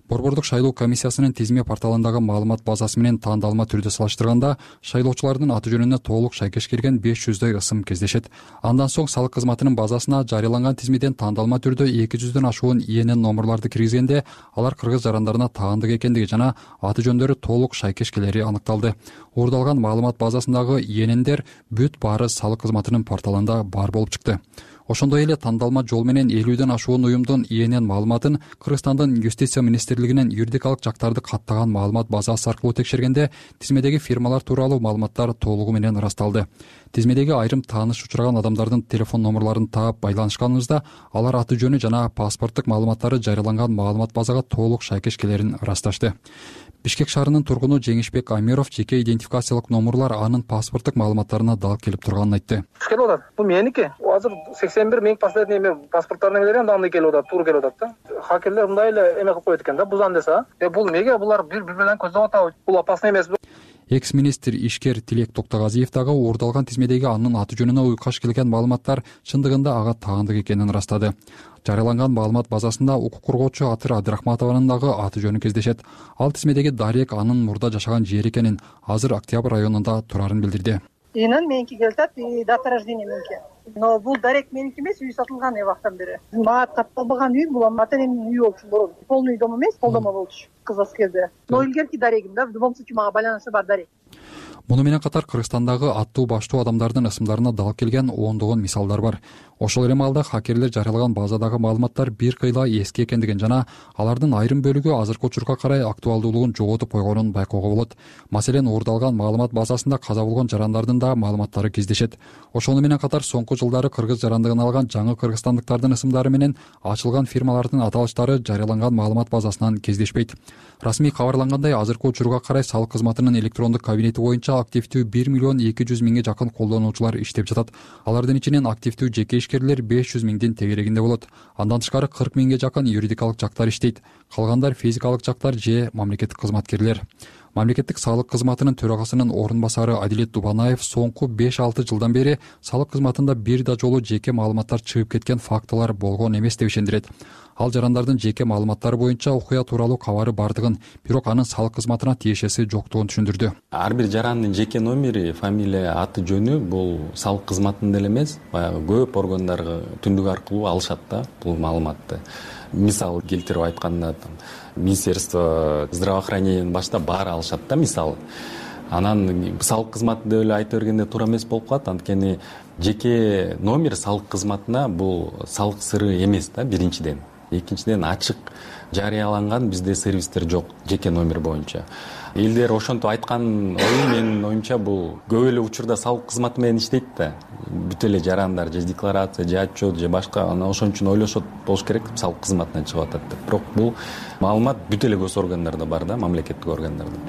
Борбордук шайлоо комиссиясынын тизме порталындагы маалымат базасы менен таандалма түрдө салыштырганда, шайлоочулардын аты жөнүнө толук шайкеш келген 500дөй ысым кездешет. Андан соң салык кызматынын базасына жарыяланган тизмеден таандалма түрдө 200дөн ашуун ИНН номурларды киргизгенде, алар кыргыз жарандарына таандык экендиги жана аты жөндөрү толук шайкеш келери аныкталды. Урдалган маалымат базасындагы ИННдер бүт баары салык кызматынын порталында бар болуп чыкты. Ошондой эле тандалма жол менен 50дөн ашуун уюмдун ИНН маалыматын Кыргызстандын юстиция министрлигинин юридикалык жактарды каттаган маалымат базасы аркылуу текшергенде, тизмедеги фирмалар тууралуу маалыматтар толугу менен ырасталды. Тизмедеги айрым тааныш учураган адамдардын телефон номурларын таап байланышканыбызда, алар аты жөнү жана паспорттук маалыматтары жарыяланган маалымат базага толук шайкеш келерин ырасташты. Бишкек шаарынын тургуну Жеңишбек Амиров жеке идентификациялык номурлар анын паспорттук маалыматтарына дал келип турганын айтты. Келип атат. Бул меники. Азыр 81 миң последний паспорттарына келген андай келип атат, туура келип атат да. Хакерлер мындай эле эме кылып коет экен да, бузан десе. Бул эмнеге булар бири менен көздөп атабы? Бул опасный эмеспи? Экс-министр ишкер Тилек Токтогазиев дагы урдалган тизмедеги анын аты жөнүнө уйкаш келген маалыматтар чындыгында ага таандык экенин ырастады. Жарыяланган маалымат базасында укук коргоочу Атыр Абдрахматованын дагы аты жөнү кездешет. Ал тизмедеги дарек анын мурда жашаган жери экенин, азыр Октябрь районунда турарын билдирди. Инын меники келатат, дата рождения меники. Но бул дарек меники эмес, үй сатылган убактан бери. Мага катталбаган үй, бул ата энемдин үйү болчу мурун. Полный дом эмес, полдомо болчу. Кыз аскерде. Но илгерки дарегим да, в любом случае мага байланышы бар дарек. Муну менен катар Кыргызстандагы аттуу баштуу адамдардын ысымдарына дал келген ондогон мисалдар бар. Ошол эле маалда хакерлер жарыялаган базадагы маалыматтар бир кыйла эски экендигин жана алардын айрым бөлүгү азыркы учурга карай актуалдуулугун жоготуп койгонун байкоого болот. Маселен, урдалган маалымат базасында каза болгон жарандардын да маалыматтары кездешет. Ошону менен катар соңку жылдары кыргыз жарандыгын алган жаңы кыргызстандыктардын ысымдары менен ачылган фирмалардын аталыштары жарыяланган маалымат базасынан кездешпейт. Расмий кабарлангандай, азыркы учурга карай салык кызматынын электрондук кабинети сайты боюнча активдүү 1,2 миллион жакын колдонуучулар иштеп жатат. Алардын ичинен активдүү жеке ишкерлер 500 миңдин тегерегинде болот. Андан тышкары 40 миңге жакын юридикалык жактар иштейт. Калгандар физикалык жактар же мамлекеттик кызматкерлер. Мамлекеттик салык кызматынын төрагасынын орун басары Адилет Дубанаев соңку 5-6 жылдан бери салык кызматында бир да жолу жеке маалыматтар чыгып кеткен фактылар болгон эмес деп ишендирет. Ал жарандардын жеке маалыматтары боюнча окуя тууралуу кабары бардыгын, бирок анын салык кызматына тиешеси жоктугун түшүндүрдү. Ар бир жарандын жеке номери, фамилия, аты жөнү бул салык кызматында эле эмес, баягы көп органдарга түндүк аркылуу алышат да бул маалыматты. Мисал келтирип айтканда, Министерство здравоохранениянын башында баары алышат да, мисалы. Анан салык кызматы деп эле айта бергенде туура эмес болуп калат, анткени жеке номер салык кызматына бул салык сыры эмес да, биринчиден. Экинчиден, ачык жарыяланган бизде сервистер жок жеке номер боюнча. Элдер ошентип айткан ою менин оюмча бул көп эле учурда салык кызматы менен иштейт да. Бүт эле жарандар же декларация, же отчет, же башка, анан ошон үчүн ойлошот болуш керек салык кызматынан чыгып атат деп. Бирок бул маалымат бүт эле гос органдарда бар да, мамлекеттик органдарда.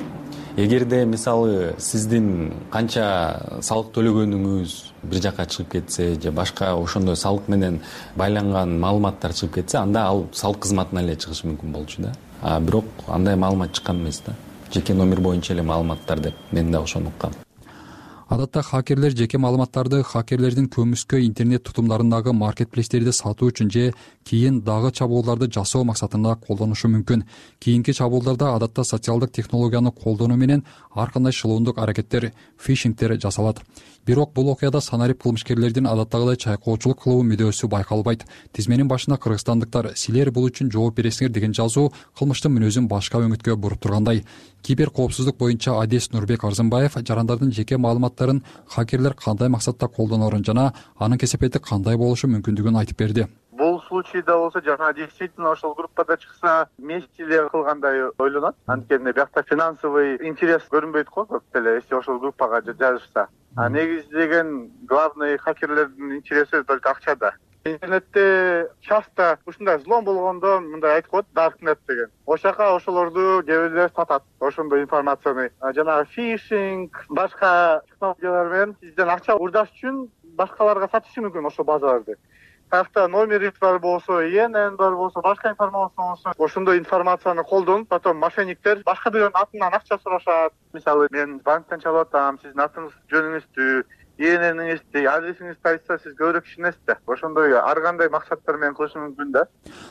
Эгерде мисалы сиздин канча салык төлөгөнүңүз бир жака чыгып кетсе, же башка ошондой салык менен байланган маалыматтар чыгып кетсе, анда ал салык кызматына эле чыгышы мүмкүн болчу да. Бирок андай маалымат чыккан эмес да. Жеке номер боюнча эле маалыматтар деп мен да ошону уккам. Адатта хакерлер жеке маалыматтарды хакерлердин көмүскө интернет тутумдарындагы маркетплейстерди сатуу үчүн же кийин дагы чабуулдарды жасоо максатында колдонушу мүмкүн. Кийинки чабуулдарда адатта социалдык технологияны колдонуу менен ар кандай шылуундук аракеттер, фишингтер жасалат. Бирок бул окуяда санарип кылмышкерлердин адаттагыдай чайкоочулук кылуу мүдөөсү байкалбайт. Тизменин башында кыргызстандыктар «Силер бул үчүн жооп бересиңер» деген жазуу кылмыштын мүнөзүн башка өңүткө буруп тургандай. Кибер коопсуздук боюнча адес Нурбек Арзымбаев жарандардын жеке маалыматтарын хакерлер кандай максатта колдонорун жана анын кесепети кандай болушу мүмкүндүгүн айтып берди. Бул случайда болсо жана действительно ошол группада чыкса вместе эле кылгандай ойлонот. Анткени биякта финансовый интерес көрүнбөйт го көп деле, если ошол группага жазышса. Негизи деген главный хакерлердин интереси только акчада. Интернетте часто ушундай взлом болгондо мындай айтып коет, darknet деген. Ошол жака ошолорду кээ бирлер сатат, ошондой информацияны. Жанагы фишинг, башка технологиялар менен сизден акча урдаш үчүн башкаларга сатышы мүмкүн ошол базаларды. Каяқта номери бар болсо, ИНН бар болсо, башка информация болсо, ошондой информацияны колдонуп, потом мошенниктер башка бирөөнүн атынан акча сурашат. Мисалы, мен банктан чалып атам, сиздин атыңыз, жөнүңүздү, ИННиңизди, адресиңизди айтса, сиз көбүрөөк ишенесиз да. Ошондой ар кандай максаттар менен кылышы мүмкүн да.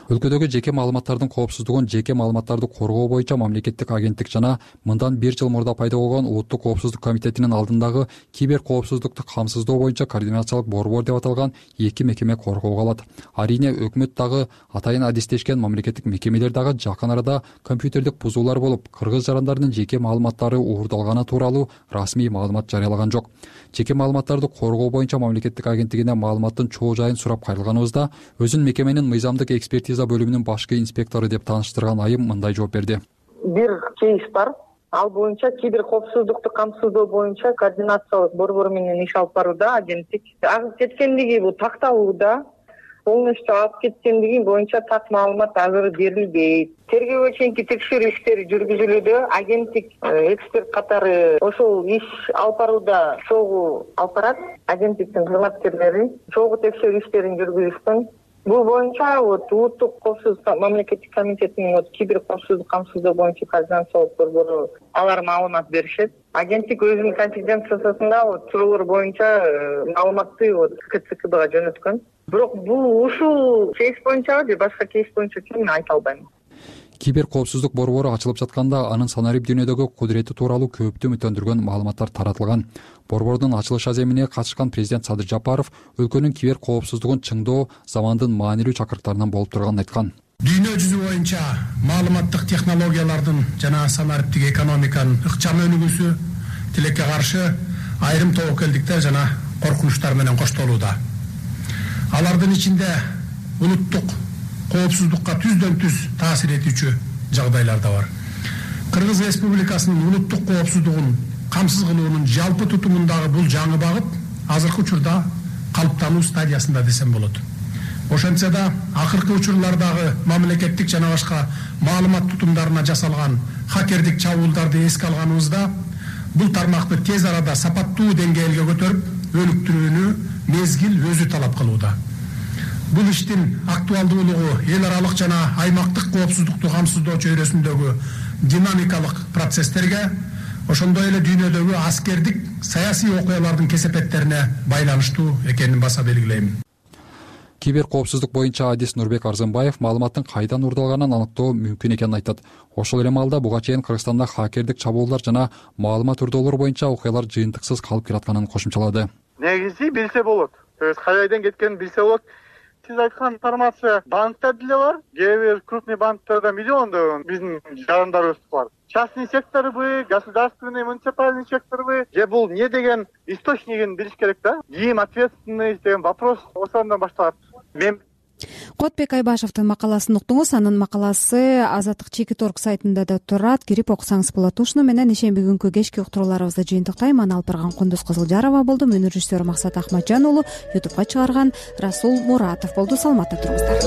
Өлкөдөгү жеке маалыматтардын коопсуздугун жеке маалыматтарды коргоо боюнча мамлекеттик агенттик жана мындан 1 жыл мурда пайда болгон Улуттук коопсуздук комитетинин алдындагы кибер коопсуздукту камсыздоо боюнча координациялык борбор деп аталган 2 мекеме коргоого алат. Арийне өкмөт дагы атайын адистешкен мамлекеттик мекемелер дагы жакын арада компьютердик бузуулар болуп, кыргыз жарандардын жеке маалыматтары уурдалганы тууралуу расмий маалымат жарыялаган жок. Жеке маалыматтарды коргоо боюнча мамлекеттик агенттигине маалыматтын чоо жайын сурап кайрылганыбызда өзүн мекеменин мыйзамдык экспертиза бөлүмүнүн башкы инспектору деп тааныштырган айым мындай жооп берди. Бир кейс бар. Ал боюнча кибер коопсуздукту камсыздоо боюнча координациялык борбор менен иш алып барууда агенттик. Агып кеткендиги бул такталууда. Полностью алып кеткендиги боюнча так маалымат азыр берилбейт. Тергөөгө чейинки текшерүү иштери жүргүзүлүүдө, агенттик эксперт катары ошол иш алып барууда чогуу алып барат. Агенттиктин кызматкерлери чогуу текшерүү иштерин жүргүзүшкөн. Бул боюнча Улуттук коопсуздук мамлекеттик комитетинин кибер коопсуздук камсыздоо боюнча координациялык борбору алар маалымат беришет. Агенттик өзүнүн конфиденциясында чоолор боюнча маалыматты КЦКБга жөнөткөн. Бирок бул ушул кейс боюнча же башка кейс боюнча мен айта албайм. Кибер коопсуздук борбору ачылып жатканда анын санарип дүйнөдөгү кудурети тууралуу көптү үмүттөндүргөн маалыматтар таратылган. Борбордун ачылыш аземине катышкан президент Садыр Жапаров өлкөнүн кибер коопсуздугун чыңдоо замандын маанилүү чакырыктарынан болуп турганын айткан. Дүйнө жүзү боюнча маалыматтык технологиялардын жана санариптик экономиканын ыкчам өнүгүүсү тилекке каршы айрым тобокелдиктер жана коркунучтар менен коштолууда. Алардын ичинде улуттук коопсуздукка түздөн түз таасир этүүчү жагдайлар да бар. Кыргыз Республикасынын улуттук коопсуздугун камсыз кылуунун жалпы тутумундагы бул жаңы багыт азыркы учурда калыптануу стадиясында десем болот. Ошентсе да акыркы учурлардагы мамлекеттик жана башка маалымат тутумдарына жасалган хакердик чабуулдарды эске алганыбызда бул тармакты тез арада сапаттуу деңгээлге көтөрүп өнүктүрүүнү мезгил өзү талап кылууда. Бул иштин актуалдуулугу эл аралык жана аймактык коопсуздукту камсыздоо чөйрөсүндөгү динамикалык процесстерге, ошондой эле дүйнөдөгү аскердик саясий окуялардын кесепеттерине байланыштуу экенин баса белгилейм. Кибер коопсуздук боюнча адис Нурбек Арзымбаев маалыматтын кайдан уурдалганын аныктоо мүмкүн экенин айтат. Ошол эле маалда буга чейин Кыргызстанда хакердик чабуулдар жана маалымат ырдоолор боюнча окуялар жыйынтыксыз калып келатканын кошумчалады. Негизи билсе болот. То есть кайдан кеткенин билсе болот. Сиз айткан информация банкта деле бар. Кээ бир крупный банктарда миллиондогон биздин жарандарыбыз бар. Частный секторбы, государственный, муниципальный секторбы, же бул не деген источнигин билиш керек да. Ким ответственный деген вопрос ошондон башталат. Мен Кодбек Айбашевдин макаласын уктуңуз. Анын макаласы Азаттык Чекит.орг сайтында да турат. Кирип окусаңыз болот. Ушуну менен ишемби күнкү кечки уктурууларыбызды жыйынтыктайм. Аны алып барган Кундуз Кызылжарова болду. Менин режиссер Максат Ахматжан уулу, YouTubeга чыгарган Расул Муратов болду. Саламатта туруңуздар.